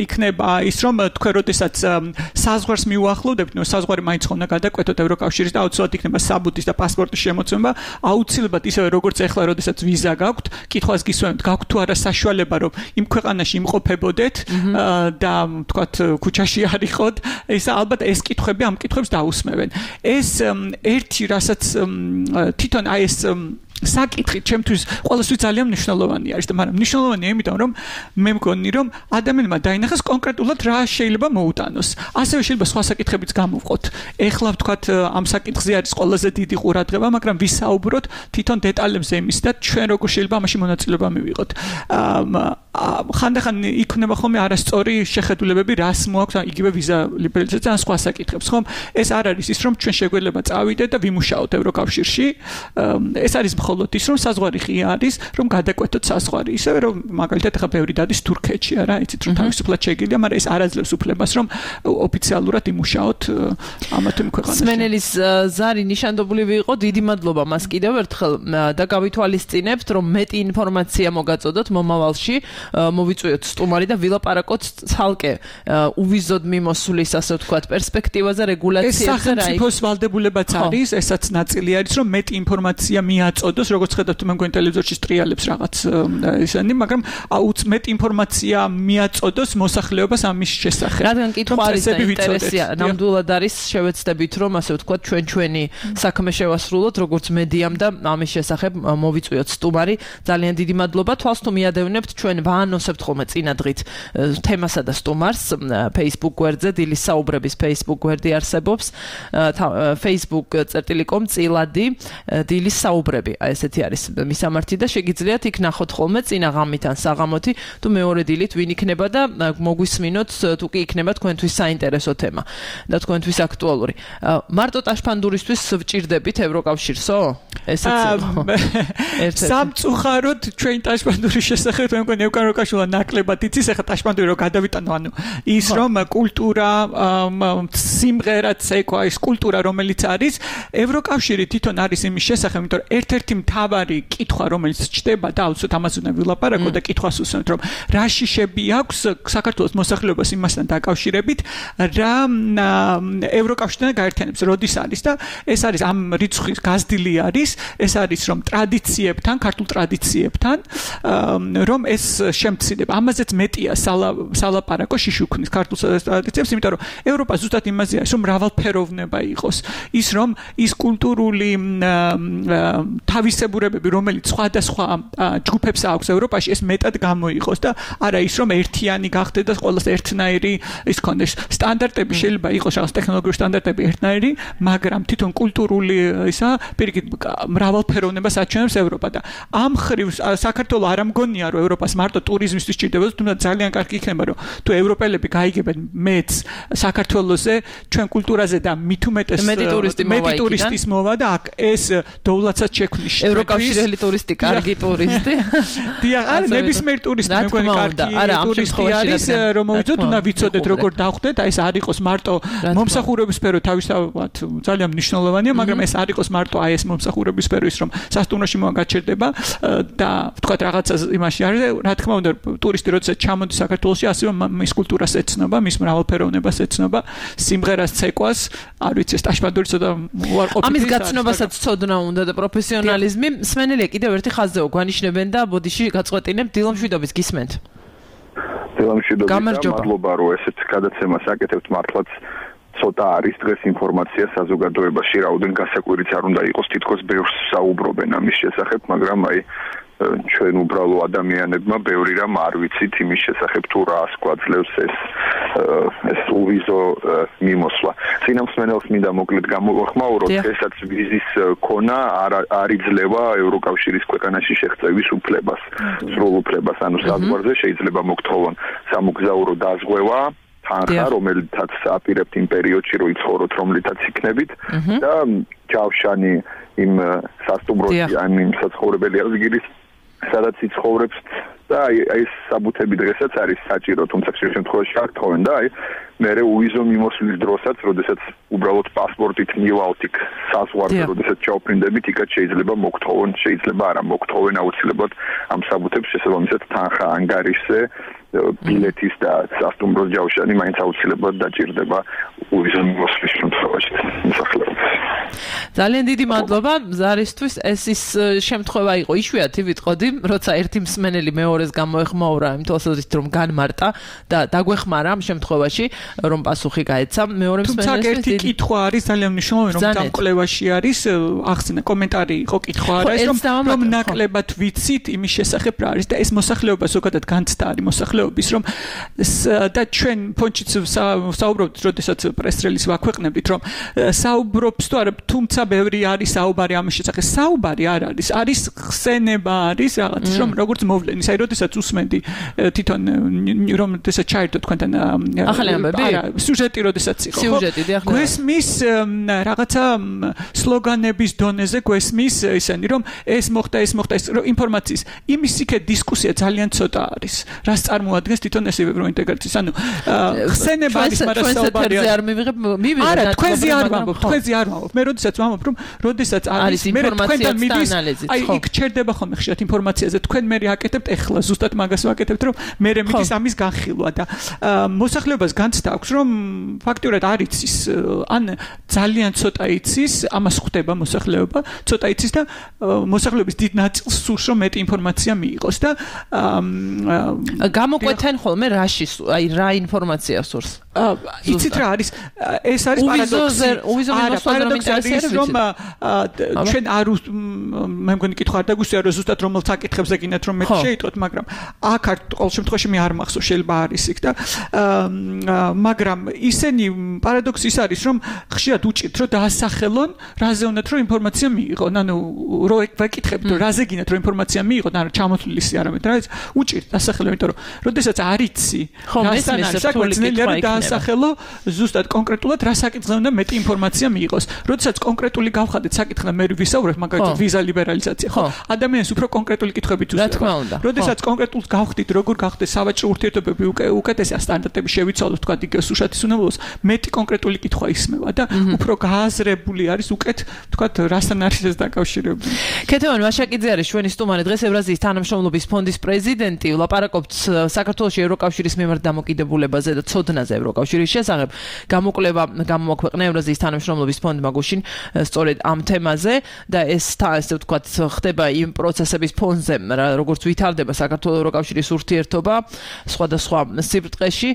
იქნება ის რომ თქვენ როდესაც საზღვარს მიუახლოვდებით, ნუ საზღვარი მაინც ხომ უნდა გადაკვეთოთ ევროკავშირის და აუცილებლად იქნება საბუთის და პასპორტის შემოცემა, აუცილებლად ისევე როგორც ახლა როდესაც ვიზა გაქვთ, კითხვას გისვენებთ, გაქვთ თუ არა საშუალება რომ იმ ქვეყანაში იმყოფებოდეთ და თქვათ ქუჩაში არ იყოთ, ეს ალბათ ეს კითხვები ამ კითხვებს დაусმევენ. ეს ერთი რასაც თვითონ აი ეს საკითხი ჩემთვის ყოველთვის ძალიან მნიშვნელოვანი არის და მაგრამ მნიშვნელოვანია იმიტომ რომ მე მგონი რომ ადამიანმა დაინახოს კონკრეტულად რა შეიძლება მოუტანოს. ასევე შეიძლება სხვა საკითხებიც გამოვყოთ. ეხლა ვთქვათ ამ საკითხზე არის ყველაზე დიდი ყურადღება, მაგრამ ვისაუბროთ თვითონ დეტალებზე იმის და ჩვენ როგორ შეიძლება ამაში მონაწილეობა მივიღოთ. ხანდახან იქნება ხოლმე არასწორი შეხედულებები, რას მოაქვს იგივე ვიზა ლიბერალიზაცია ან სხვა საკითხებს, ხომ? ეს არ არის ის რომ ჩვენ შეგვეძლება წავიდეთ და ვიმუშაოთ ევროკავშირში. ეს არის მხოლოდ ის რომ საზღვარი ღია არის, რომ გადაკვეთოთ საზღვარი. ისევე რომ მაგალითად ახლა ბევრი დადის თურქეთში, არა, იცით რომ თავისუფლად შეგიძლია, მაგრამ ეს არ აძლევს უფლებას რომ ოფიციალურად იმუშაოთ ამა თუ იმ ქვეყანაში. მსმენელის ზარი ნიშანდობლივი იყო, დიდი მადლობა მას კიდევ ერთხელ და გავითვალისწინებთ, რომ მეტი ინფორმაცია მოგაწოდოთ მომავალში, მოვიწვიოთ სტუმარი და ვილაპარაკოთ ცალკე უვიზოდ მიმოსვლის, ასე ვთქვათ, პერსპექტივაზე, რეგულაციებზე. ეს სახელმწიფოს ვალდებულებაც არის, ესაც ნაწილი არის, რომ მეტი ინფორმაცია მიაწოდოს, როგორც ხედავთ, მე მგონი ტელევიზორში სტრიალებს რაღაც ისენი, მაგრამ მეტი ინფორმაცია მიაწოდოს მოსახლეობას ამის შესახებ. რადგან კითხვა არის და ინტერესია, ნამდვილად არის, შევეცდებით, რომ ასე ვთქვათ, ჩვენი საქმე შევასრულოთ, როგორც მედიამ და ამის შესახებ მოვიწვიოთ სტუმარი. ძალიან დიდი მადლობა. თვალს თუ მიადევნებთ, ჩვენ ვაანონსებთ ხოლმე წინა დღით თემასა და სტუმარს Facebook გვერდზე, დილის საუბრების Facebook გვერდი არსებობს, facebook.com წილადი დილის საუბრები. აი ესეთი არის მისამართი და შეგიძლიათ იქ ნახოთ ხოლმე წინა ღამით ან საღამოთი თუ მეორე დილით ვინ იქნება და მოგვისმინოთ თუ კი იქნება თქვენთვის საინტერესო თემა და თქვენთვის აქტუალური. მარტო ტაშფანდურისთვის ვჭირდებით ევროკავშირსო? ესეც სამწუხაროდ ჩვენ ტაშფანდურის შესახებ მე მგონი ევროკავშირმა ნაკლებად იცის, ახლა ტაშფანდური რო გადავიტანო, ანუ ის რომ კულტურა, სიმღერა, ცეკვა, ის კულტურა რომელიც არის, ევროკავშირი თვითონ არის იმის შესახებ, იმიტომ რომ ერთ-ერთი მთავარი კითხვა რომელიც ჩდება და აუცილებლად ამას უნდა ვილაპარაკო და კითხვას უსვამთ, რომ რა შიშები აქვს საქართველოს მოსახლეობას იმასთან დაკავშირებით, რა ევროკავშირთან გაერთიანებს, როდის არის და ეს არის ამ რიცხვის გაზრდილი არის, ეს არის რომ ტრადიციებთან, ქართულ ტრადიციებთან, რომ ეს შემცირდება. ამაზეც მეტია სალაპარაკო შიშუქნის ქართულ ტრადიციებს, იმიტომ რომ ევროპა ზუსტად იმაზე არის, რომ მრავალფეროვნება იყოს. ის რომ ის კულტურული თავისებურებები, რომელიც სხვადასხვა ჯგუფებს აქვს ევროპაში, ეს მეტად გამოიყოს და არა ის რომ ერთიანი გახდეთ და ყველას ერთნაირი ის ქონდეს. სტანდარტები შეიძლება იყოს რაღაც ტექნოლოგიური სტანდარტები ერთნაირი, მაგრამ თვითონ კულტურული ისა პირიქით მრავალფეროვნებას აჩვენებს ევროპა და ამ ხრივ საქართველოს არ ამგონია რომ ევროპას მარტო ტურიზმისთვის ჭირდებოდა, თუმცა ძალიან კარგი იქნება რომ თუ ევროპელები გაიგებენ მეც საქართველოსზე, ჩვენ კულტურაზე და მით უმეტეს მეტი ტურისტის მოვა და აქ ეს დოვლაცად შექმნის ევროკავშირელი ტურისტი, კარგი ტურისტი. დიახ, არა ნებისმიერ ტურისტი, მე მგონი კარგი ტურისტი არის, რომ მოვიწოთ, უნდა ვიცოდეთ როგორ დავხვდეთ, აი ეს არ იყოს მარტო მომსახურების სფერო თავისთავად ძალიან მნიშვნელოვანია, მაგრამ ეს არ იყოს მარტო აი ეს მომსახურების სფერო ის რომ სასტუმროში მოგაჩერდება და ვთქვათ რაღაცა იმაში არის, რა თქმა უნდა, ტურისტი როდესაც ჩამოდის საქართველოში, ასევე მის კულტურას ეცნობა, მის მრავალფეროვნებას ეცნობა, სიმღერას, ცეკვას, არ ვიცი, ტაშფანდური ცოტა უარყოფითი. ამის გაცნობასაც ცოდნა უნდა და პროფესიონალიზმი. მსმენელია კიდევ ერთი ხაზზე გვანიშნებენ და ბოდიში გაწყვეტინებ დილამშვიდობის გისმენთ. მადლობა რომ ესეთ გადაცემას აკეთებთ მართლაც ცოტა არის დღეს ინფორმაცია საზოგადოებაში რაოდენ გასაკვირიც არ უნდა იყოს თითქოს ბევრს საუბრობენ ამის შესახებ მაგრამ აი ჩვენ უბრალო ადამიანებმა ბევრი რამ არ ვიცით იმის შესახებ თუ რას გვაძლევს ეს უვიზო მიმოსვლა. წინამსმენელს მინდა მოკლედ გამოვახმაუროთ, ესაც ვიზის ქონა არ იძლევა ევროკავშირის ქვეყანაში შეღწევის უფლებას, სრულ უფლებას, ანუ საზღვარზე შეიძლება მოგთხოვონ სამოგზაურო დაზღვევა თანხა, რომელთაც აპირებთ იმ პერიოდში რომ იცხოვროთ, რომლითაც იქნებით და ჯავშანი იმ სასტუმროში ან იმ საცხოვრებელი ადგილის სადაც იცხოვრებს და ეს საბუთები დღესაც არის საჭირო, თუმცა ხშირ შემთხვევაში არ თხოვენ და მერე უვიზო მიმოსვლის დროსაც, როდესაც უბრალოდ პასპორტით მივალთ იქ საზღვარზე, როდესაც ჩაუფრინდებით, იქაც შეიძლება მოგთხოვონ, შეიძლება არა მოგთხოვენ აუცილებლად ამ საბუთებს შესაბამისად თანხა ანგარიშზე ბილეთის და სასტუმროს ჯავშანი მაინც აუცილებლად დაჭირდება უვიზო მიმოსვლის შემთხვევაში მოსახლეობას. ძალიან დიდი მადლობა ზარისთვის. ეს ის შემთხვევა იყო იშვიათი ვიტყოდი, როცა ერთი მსმენელი მეორეს გამოეხმაურა იმ თვალსაზრისით რომ განმარტა და დაგვეხმარა ამ შემთხვევაში რომ პასუხი გაეცა მეორე მსმენელს. თუმცა ერთი კითხვა არის ძალიან მნიშვნელოვანი რომ ამ კვლევაში არის ახსნა კომენტარი იყო კითხვა არის რომ ნაკლებად ვიცით იმის შესახებ რა არის და ეს მოსახლეობა ზოგადად განცდა არის მოსახლეობის რომ და ჩვენ ფონჩიც საუბრობთ როდესაც პრეს-რელიზს ვაქვეყნებით რომ საუბრობს თუ არა თუმცა ბევრი არის საუბარი ამის შესახებ საუბარი არ არის ხსენება არის რაღაც რომ როგორც მოვლენის აი როდესაც უსმენდი თვითონ რომ ესა ჩაერთო თქვენთან ახალი ამბები არა სიუჟეტი როდესაც იყო სიუჟეტი ახლა გვესმის რაღაცა სლოგანების დონეზე გვესმის ისენი რომ ეს მოხდა ეს ინფორმაციის იმის იქე დისკუსია ძალიან ცოტა არის რას წარმოადგენს თვითონ ეს ევროინტეგრაციის ანუ ხსენება არის მაგრამ საუბარი არ მივიღებ არა თქვენზე არ ვამბობ მე როდესაც ვამბობ რომ როდესაც არის მე თქვენთან მიდის აი იქ ჩერდება ხოლმე ხშირად ინფორმაციაზე თქვენ მე აკეთებთ ეხლა ზუსტად მაგას ვაკეთებთ რომ მე მიდის ამის განხილვა და მოსახლეობას განცდა აქვს რომ ფაქტურად არ იცის ან ძალიან ცოტა იცის ამას ხვდება მოსახლეობა ცოტა იცის და მოსახლეობის დიდ ნაწილს სურს რომ მეტი ინფორმაცია მიიღოს და გამოკვეთენ ხოლმე რაში აი რა ინფორმაცია სურს იცით რა არის ეს არის პარადოქსი რომ ჩვენ არ მე მგონი კითხვა არ დაგვისვია რომ ზუსტად რომელს აკითხებს ეგინათ რომ მე შეიტყოთ მაგრამ აქ არ ყოველ შემთხვევაში მე არ მახსოვს შეიძლება არის იქ და მაგრამ ისენი პარადოქსი ის არის რომ ხშირად უჭირთ რომ დაასახელონ რაზე უნდათ რომ ინფორმაცია მიიღონ ანუ რო ვეკითხებთ რომ რაზე გინათ რომ ინფორმაცია მიიღონ ან ჩამოთვლილი არამედ რა ის უჭირთ დასახელო იმიტომ რომ როდესაც არ იცი რასთან არის საქმე დაასახელო ზუსტად კონკრეტულად რა საკითხზე უნდა მეტი ინფორმაცია მიიღოს როდესაც კონკრეტული გავხადეთ საკითხზე მე ვისაუბრებ მაგალითად ვიზა ლიბერალიზაცია ხო ადამიანს უფრო კონკრეტული კითხვებით უსწრებს როდესაც კონკრეტულს გავხდით როგორ გახდეს სავაჭრო ურთიერთობები უკეთესი სტანდარტები შევიცვალოთ თქვა იგივე სუშათის უნებლიოს მეტი კონკრეტული კითხვა ისმევა და უფრო გააზრებული არის უკეთ თქვა რასთან არის ეს დაკავშირებული ქეთევან ვაშაკიძე არის ჩვენი სტუმარი დღეს ევრაზიის თანამშრომლობის ფონდის პრეზიდენტი ვლაპარაკობთ საქართველოში ევროკავშირის მიმართ დამოკიდებულებაზე და ცოდნაზე ევროკავშირის შესახებ გამოკვლევა გამოაქვეყნა ევრაზიის თანამშრომლობის ფონდმა გუშინ სწორედ ამ თემაზე და ეს ასე ვთქვათ ხდება იმ პროცესების ფონზე როგორც ვითარდება საქართველოს ევროკავშირის ურთიერთობა სხვადასხვა სიბრტყეში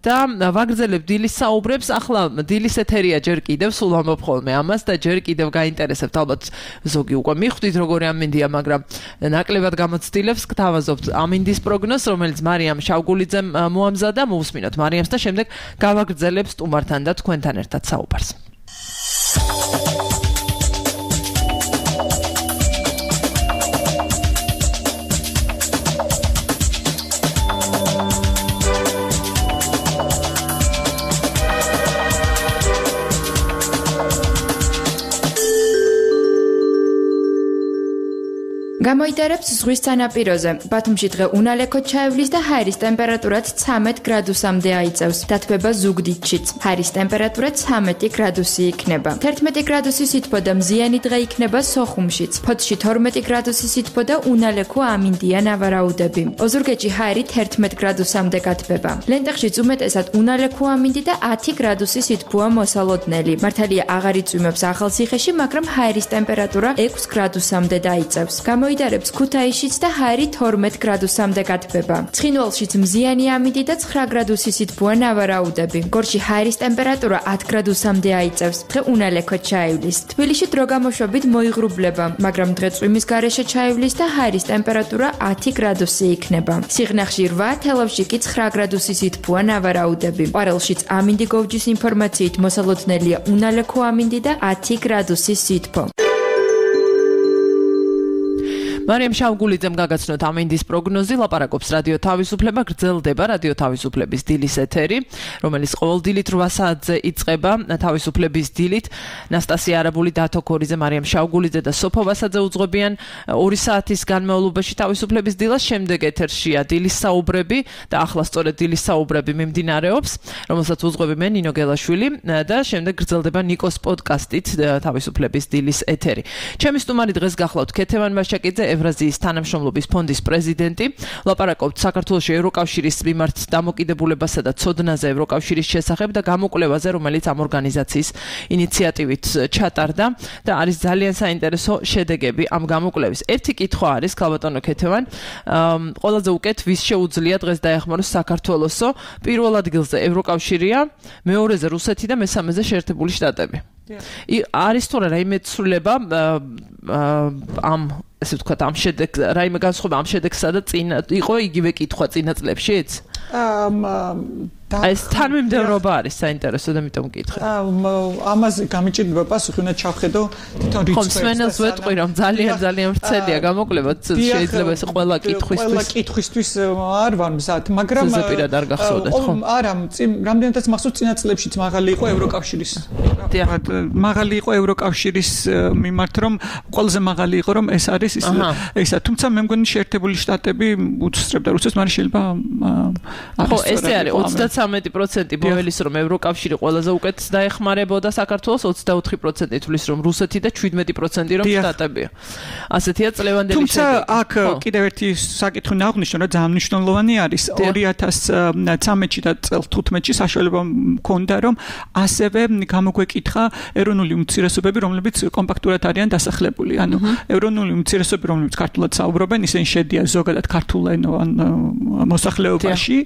და ვაგრძელებ დილის საუბრებს ახლა დილის ეთერია ჯერ კიდევ სულ ამბობ ხოლმე ამას და ჯერ კიდევ გაინტერესებთ ალბათ ზოგი უკვე მიხვდით როგორი ამინდია მაგრამ ნაკლებად გამოცდილებს გთავაზობთ ამინდის პროგნოზს რომელიც მარიამ შავგულიძემ მოამზადა მოусმინოთ მარიამს და შემდეგ გავაგრძელებ სტუმართან და თქვენთან ერთად საუბარს გამოიტარებს ზღვის სანაპიროზე. ბათუმში დღე უნალექოდ ჩაევლის და ჰაერის ტემპერატურაც 13 გრადუსამდე აიწევს. დათბება ზუგდიდშიც. ჰაერის ტემპერატურა 13 გრადუსი იქნება. 11 გრადუსი სითბო და მზიანი დღე იქნება სოხუმშიც. ფოთში 12 გრადუსი სითბო და უნალექო ამინდია ნავარაუდები. ოზურგეთში ჰაერი 11 გრადუსამდე გათბება. ლენტეხშიც უმეტესად უნალექო ამინდი და 10 გრადუსი სითბოა მოსალოდნელი. მართალია აღარ იწვიმებს ახალციხეში, მაგრამ ჰაერის ტემპერატურა 6 გრადუსამდე დაიწევს. მოიდარებს ქუთაისშიც და ჰაერი 12 გრადუსამდე გათბება. ცხინვალშიც მზიანი ამინდი და 9 გრადუსის სითბოა ნავარაუდები. გორში ჰაერის ტემპერატურა 10 გრადუსამდე აიწევს. დღე უნალექვად ჩაივლის. თბილისში დრო გამოშვებით მოიღრუბლება, მაგრამ დღე წვიმის გარეშე ჩაივლის და ჰაერის ტემპერატურა 10 გრადუსი იქნება. სიღნაღში 8, თელავში კი 9 გრადუსის სითბოა ნავარაუდები. ყვარელშიც ამინდი გოვჯის ინფორმაციით მოსალოდნელია უნალექო ამინდი და 10 გრადუსის სითბო. მარიამ შავგულიძემ გაგაცნოთ ამინდის პროგნოზი, ლაპარაკობს რადიო თავისუფლება, გრძელდება რადიო თავისუფლების დილის ეთერი, რომელიც ყოველ დილით 8 საათზე იწყება თავისუფლების დილით. ნასტასია არაბული, დათო ქორიძე, მარიამ შავგულიძე და სოფო ვასაძე უძღვებიან 2 საათის განმავლობაში თავისუფლების დილას. შემდეგ ეთერშია დილის საუბრები და ახლა სწორედ დილის საუბრები მიმდინარეობს, რომელსაც უძღვები მე ნინო გელაშვილი და შემდეგ გრძელდება ნიკოს პოდკასტით თავისუფლების დილის ეთერი. ჩემი სტუმარი დღეს გახლავთ ქეთევან მაშაკიძე, ევრაზიის თანამშრომლობის ფონდის პრეზიდენტი. ლაპარაკობთ საქართველოში ევროკავშირის მიმართ დამოკიდებულებასა და ცოდნაზე ევროკავშირის შესახებ და გამოკვლევაზე, რომელიც ამ ორგანიზაციის ინიციატივით ჩატარდა და არის ძალიან საინტერესო შედეგები ამ გამოკვლევის. ერთი კითხვა არის, ქალბატონო ქეთევან, ყველაზე უკეთ ვის შეუძლია დღეს დაეხმაროს საქართველოსო? პირველ ადგილზე ევროკავშირია, მეორეზე რუსეთი და მესამეზე შეერთებული შტატები. არის თუ რა რაიმე ცვლილება ამ ესე ვთქვათ ამ შედეგს, რაიმე განსხვავება ამ შედეგსა და წინ იყო იგივე კითხვა წინა წლებშიც? ეს თანმიმდევრობა არის საინტერესო და მიტომ მკითხე. ამაზე გამიჭირდება პასუხი, უნდა ჩავხედო თვითონ რიცხვებს. ხომსმენელს ვეტყვი, რომ ძალიან ვრცელია გამოკვლევა, შეიძლება ეს ყველა კითხვისთვის არ ვარ მზად, მაგრამ ზეპირად არ გახსოვდეთ, ხო? არა, რამდენადაც მახსოვს წინა წლებშიც მაღალი იყო ევროკავშირის. მაღალი იყო ევროკავშირის მიმართ, რომ ყველაზე მაღალი იყო, რომ ეს არის ისა, თუმცა მე მგონი შეერთებული შტატები უსწრებდა რუსეთს, მაგრამ შეიძლება ხო, ესე არის 33% ბოველის რომ ევროკავშირი ყველაზე უკეთ დაეხმარებოდა საქართველოს, 24% თulis რომ რუსეთი და 17% რომ შტატებია. ასეთია წლევანდელი შედეგი. თუმცა აქ კიდევ ერთი საკითხი ნაღვნიშნო, რა ძალიან მნიშვნელოვანი არის 2013-ში და წელს 15-ში საშუალება მქონდა რომ ასევე გამოგვეკითხა ეროვნული უმცირესობები, რომლებიც კომპაქტურად არიან დასახლებული. ანუ ეროვნული უმცირესობები, რომლებიც ქართულად საუბრობენ, ისინი შედიან ზოგადად ქართულენოვან მოსახლეობაში,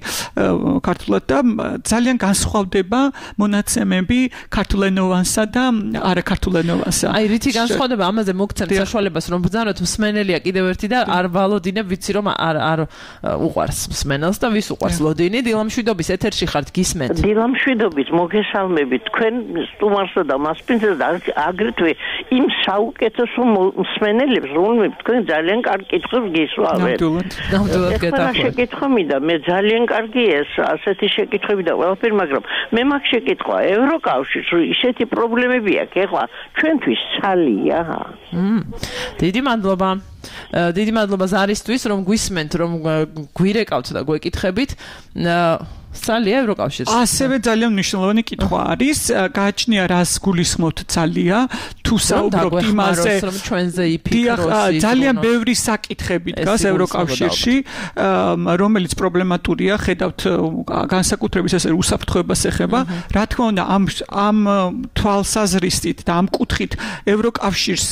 ქართულად და ძალიან განსხვავდება მონაცემები ქართულენოვანსა და არაქართულენოვანსა. აი, რითი განსხვავდება? ამაზე მოგცემ საშუალებას, რომ ბრძანოთ მსმენელია კიდევ ერთი და არ ვალოდინებ, ვიცი რომ არ უყვარს მსმენელს და ვის უყვარს ლოდინი. დილამშვიდობის ეთერში ხართ, გისმენთ. დილამშვიდობით, მოგესალმებით თქვენ სტუმარსა და მასპინძელს და აგრეთვე იმ საუკეთესო მსმენელებს, რომლებიც თქვენ ძალიან კარგ კითხვებს გისვავთ. ნამდვილად ეხლა შეკითხვა მინდა, მე ძალიან კარგია ეს ასეთი შეკითხვები და ყველაფერი, მაგრამ მე მაგ შეკითხვა ევროკავშირს ისეთი პრობლემები აქვს ეხლა ჩვენთვის ცალია. დიდი მადლობა. დიდი მადლობა ზარისთვის, რომ გვისმენთ, რომ გვირეკავთ და გვეკითხებით. ცალია ევროკავშირს. ასევე ძალიან მნიშვნელოვანი კითხვა არის, გააჩნია რას გულისხმობთ ცალია, თუ საუბრობთ იმაზე, რომ ჩვენზე იფიქროს. ძალიან ბევრი საკითხები დგას ევროკავშირში, რომელიც პრობლემატურია, ხედავთ განსაკუთრებით ესე უსაფრთხოებას ეხება. რა თქმა უნდა, ამ თვალსაზრისით და ამ კუთხით ევროკავშირს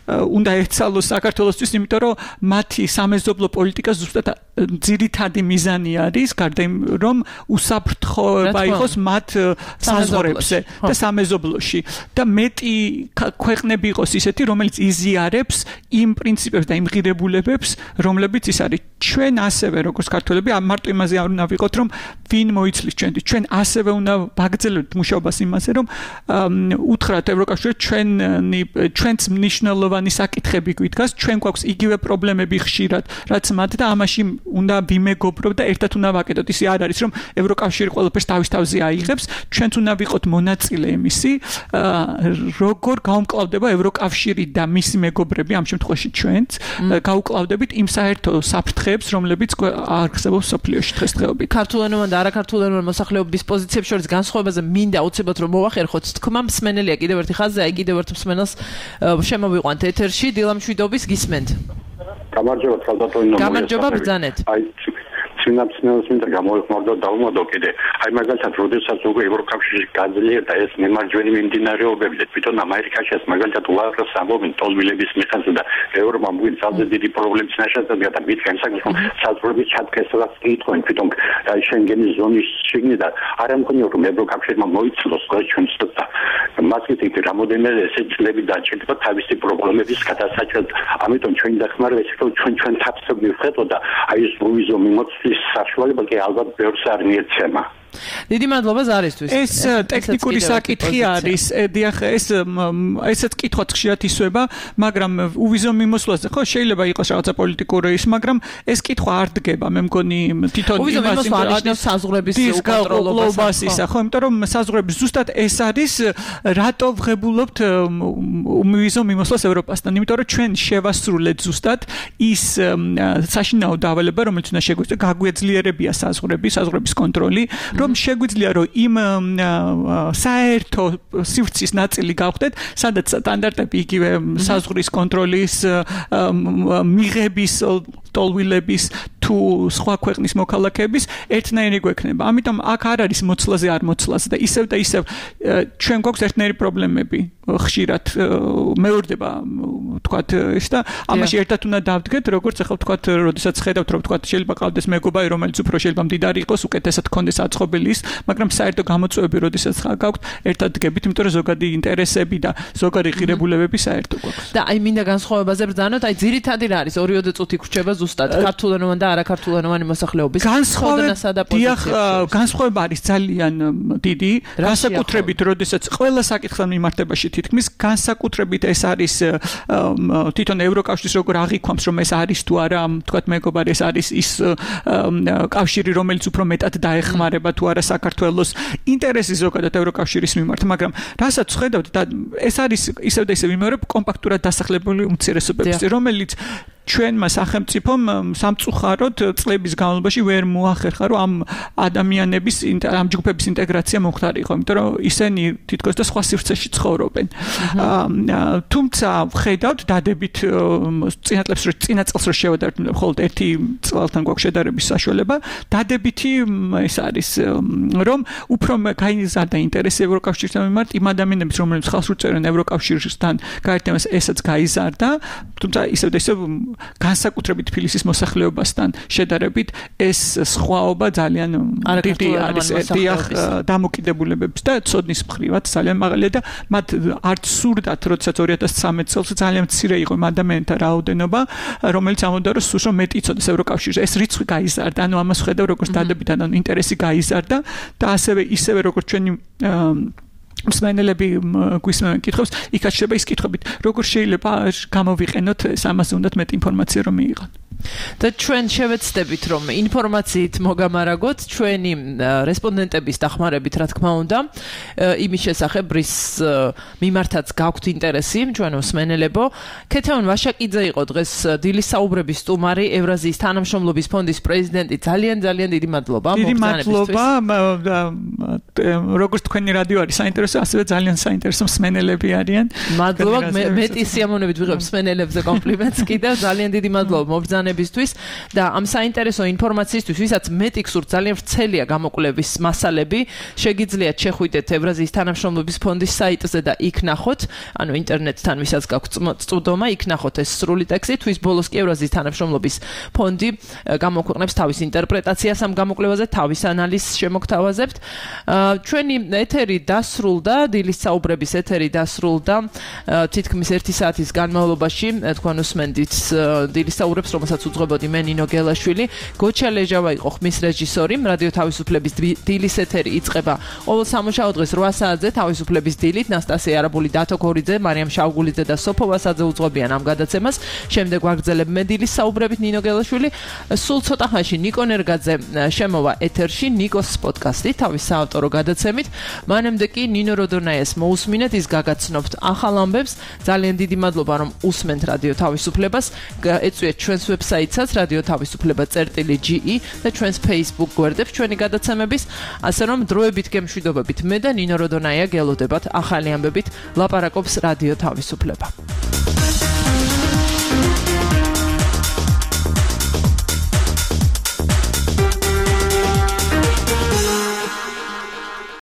უნდა ეცალოს საქართველოსთვის, იმიტომ რომ მათი სამეზობლო პოლიტიკა ზუსტად ძირითადი მიზანი არის, გარდა იმ რომ უსაფრთხოება იყოს მათ საზღვრებზე და სამეზობლოში და მეტი ქვეყნები იყოს ისეთი, რომელიც იზიარებს იმ პრინციპებს და იმ ღირებულებებს, რომლებიც ის არის. ჩვენ ასევე როგორც ქართველები მარტო იმაზე არ უნდა ვიყოთ, რომ ვინ მოიცლის ჩვენთვის. ჩვენ ასევე უნდა ვაგრძელებთ მუშაობას იმაზე, რომ უთხრათ ევროკავშირს ჩვენც მნიშვნელოვანი საკითხები გვიდგას, ჩვენ გვაქვს იგივე პრობლემები ხშირად, რაც მათ და ამაში უნდა ვიმეგობროთ და ერთად უნდა ვაკეთოთ. ისე არ არის, რომ ევროკავშირი ყველაფერს თავის თავზე აიღებს, ჩვენც უნდა ვიყოთ მონაწილე იმისი, როგორ გაუმკლავდება ევროკავშირი და მისი მეგობრები, ამ შემთხვევაში ჩვენც, გაუკლავდებით იმ საერთო საფრთხეებს, რომლებიც არსებობს სოფლიოში დღესდღეობით. ქართულენოვან და არაქართულენოვან მოსახლეობის პოზიციებს შორის განსხვავებაზე მინდა აუცილებლად რომ მოვახერხოთ. თქმა მსმენელია კიდევ ერთი ხაზზე, აი კიდევ ერთ მსმენელს შემოვიყვანთ ეთერში, დილამშვიდობის, გისმენთ. გამარჯობა, ქალბატონო. გამარჯობა, ბრძანეთ. აი სინაფსინელს მინდა გამოეხმაურდო დაუმოდო კიდე აი მაგალითად როდესაც უკვე ევროკავშირში გაძლიერდა ეს მემარჯვენე მიმდინარეობები და თვითონ ამერიკაში ეს მაგალითად უარყოს ამბობენ ტოლვილების მიხანზე და ევროპამ გვიწავდა დიდი პრობლემის ნაშადია და მით განსაკუთრებით საზღვრების ჩატკესაც კითხავენ თვითონ აი შენგენის ზონის შიგნიდან არ ამქონია რომ ევროკავშირმა მოიცლოს ჩვენს და მასეთ იქ რამოდენიმე ესე წლები დაჭირდება თავისი პრობლემების გადასაჭრად ამიტომ ჩვენი დახმარება ის რომ ჩვენ თავს მივხედო და აი ეს ვიზო მიმოწვის საშუალება კი ალბათ ბევრს არ მიეცემა დიდი მადლობა ზარისთვის. ეს ტექნიკური საკითხი არის. დიახ, ესეც კითხვაც ხშირად ისვება, მაგრამ უვიზო მიმოსვლაზე ხო შეიძლება იყოს რაღაცა პოლიტიკური ის, მაგრამ ეს კითხვა არ დგება, მე მგონი თვითონ უვიზო მიმოსვლა ანიშნავს საზღვრების უკონტროლობას ისა, ხო, იმიტომ რომ საზღვრების ზუსტად ეს არის, რატო ვღებულობთ უვიზო მიმოსვლას ევროპასთან, იმიტომ რომ ჩვენ შევასრულეთ ზუსტად ის საშინაო დავალება, რომელიც უნდა შეგვეძლოს, გაგვეძლიერებია საზღვრების კონტროლი. რომ შეგვიძლია რომ იმ საერთო სივრცის ნაწილი გავხდეთ, სადაც სტანდარტები იგივე საზღვრის კონტროლის მიღების ტოლვილების თუ სხვა ქვეყნის მოქალაქეების ერთნაირი გვექნება. ამიტომ აქ არ არის მოცლაზე არ მოცლაზე და ისევ ჩვენ გვაქვს ერთნაირი პრობლემები. ხშირად მეორდება თქვათ ის და ამაში ერთად უნდა დავდგეთ, როგორც ახლა თქვათ, როდესაც ხედავთ რომ თქვათ შეიძლება ყავდეს მეგობარი, რომელიც უფრო შეიძლება მდიდარი იყოს, უკეთესად ქონდეს აწყობილი ის, მაგრამ საერთო გამოწვევები როდესაც გაქვთ, ერთად დგებით, იმიტომ რომ ზოგადი ინტერესები და ზოგადი ღირებულებები საერთო გვაქვს. და აი მინდა განსხვავებაზე ბრძანოთ, აი ძირითადი რა არის 2-3 წუთი გრჩება ზუსტად ქართულენოვანი და არაქართულენოვანი მოსახლეობის განსხვავებასა და პოზიციებში. განსხვავება არის ძალიან დიდი, განსაკუთრებით როდესაც ყველა საკითხთან მიმართებაში თითქმის განსაკუთრებით ეს არის თვითონ ევროკავშირის როგორ აღიქვამს რომ ეს არის თუ არა თქვათ მეგობარი ეს არის ის კავშირი რომელიც უფრო მეტად დაეხმარება თუ არა საქართველოს ინტერესი ზოგადად ევროკავშირის მიმართ მაგრამ რასაც ხედავთ და ეს არის ისევ და ისევ იმეორებ კომპაქტურად დასახლებული უმცირესობების რომელიც ჩვენმა სახელმწიფომ სამწუხაროდ წლების განმავლობაში ვერ მოახერხა რომ ამ ადამიანების ამ ჯგუფების ინტეგრაცია მოხდარიყო, იმიტომ რომ ისინი თითქოს და სხვა სივრცეში ცხოვრობენ. თუმცა ვხედავთ დადებით წინა წელს რო შევადარებთ, მხოლოდ ერთი წელთან გვაქვს შედარების საშუალება, დადებითი ეს არის რომ უფრო გაიზარდა ინტერესი ევროკავშირთან მიმართ იმ ადამიანების რომლებიც ხალხს უწევენ ევროკავშირისთან გაერთიანებას ესაც გაიზარდა, თუმცა ისევ და ისევ განსაკუთრებით თბილისის მოსახლეობასთან შედარებით ეს სხვაობა ძალიან დიდი არის დამოკიდებულებებს და ცოდნის მხრივაც ძალიან მაღალია და მათ არც სურდათ როდესაც 2013 წელს ძალიან მცირე იყო იმ ადამიანთა რაოდენობა რომელიც ამბობდა რომ სულ მეტი იცოდეს ევროკავშირში ეს რიცხვი გაიზარდა ანუ ამას ხედავ როგორც დადებითად ანუ ინტერესი გაიზარდა და ისევე როგორც ჩვენი მსმენელები გვისმენენ კითხვებს, იქაც შეიძლება ის კითხვებით, როგორ შეიძლება გამოვიყენოთ ამაზე უნდათ მეტი ინფორმაცია რომ მიიღოთ. და ჩვენ შევეცდებით რომ ინფორმაციით მოგამარაგოთ ჩვენი რესპონდენტების დახმარებით რა თქმა უნდა იმის შესახებ რის მიმართაც გაქვთ ინტერესი ჩვენო მსმენელებო ქეთევან ვაშაკიძე იყო დღეს დილის საუბრების სტუმარი ევრაზიის თანამშრომლობის ფონდის პრეზიდენტი ძალიან დიდი მადლობა როგორც თქვენი რადიო არის საინტერესო ასევე ძალიან საინტერესო მსმენელები არიან მადლობა მეტი სიამოვნებით ვიღებ მსმენელებზე კომპლიმენტს კიდევ ძალიან დიდი მადლობა მობრძანებისთვის და ამ საინტერესო ინფორმაციისთვის, ვისაც მეტი გსურთ, ძალიან ვრცელია გამოკვლევის მასალები, შეგიძლიათ შეხვიდეთ ევრაზიის თანამშრომლობის ფონდის საიტზე და იქ ნახოთ, ანუ ინტერნეტთან ვისაც გაქვთ წვდომა, იქ ნახოთ ეს სრული ტექსტი, თვის ბოლოს კი ევრაზიის თანამშრომლობის ფონდი გამოქვეყნებს თავის ინტერპრეტაციას ამ გამოკვლევაზე, თავის ანალიზს შემოგთავაზებთ. ჩვენი ეთერი დასრულდა, დილის საუბრების ეთერი დასრულდა თითქმის 1 საათის განმავლობაში, თქვენ უსმენდით დილის საუბრებს, რომელსაც უძღვებოდი მე ნინო გელაშვილი, გოჩა ლეჟავა იყო ხმის რეჟისორი, რადიო თავისუფლების დილის ეთერი იწყება ყოველ სამუშაო დღეს 8 საათზე თავისუფლების დილით, ნასტასია არაბული, დათო გორიძე, მარიამ შავგულიძე და სოფო ვასაძე უძღვებიან ამ გადაცემას. შემდეგ ვაგრძელებ მე დილის საუბრებით ნინო გელაშვილი. სულ ცოტა ხანში ნიკო ნერგაძე შემოვა ეთერში, ნიკოს პოდკასტი თავის საავტორო გადაცემით. მანამდე კი ნინო როდონაიას მოусმინეთ, ის გაგაცნობთ ახალ ამბებს. ძალიან დიდი მადლობა რომ უსმენთ რადიო თავისუფლებას. ეწვიეთ ჩვენს ვებსაიტსაც რადიო თავისუფლება.ge და ჩვენს Facebook გვერდებს ჩვენი გადაცემების, ასე რომ დროებით გემშვიდობებით მე და ნინო როდონაია გელოდებათ ახალი ამბებით ლაპარაკობს რადიო თავისუფლება.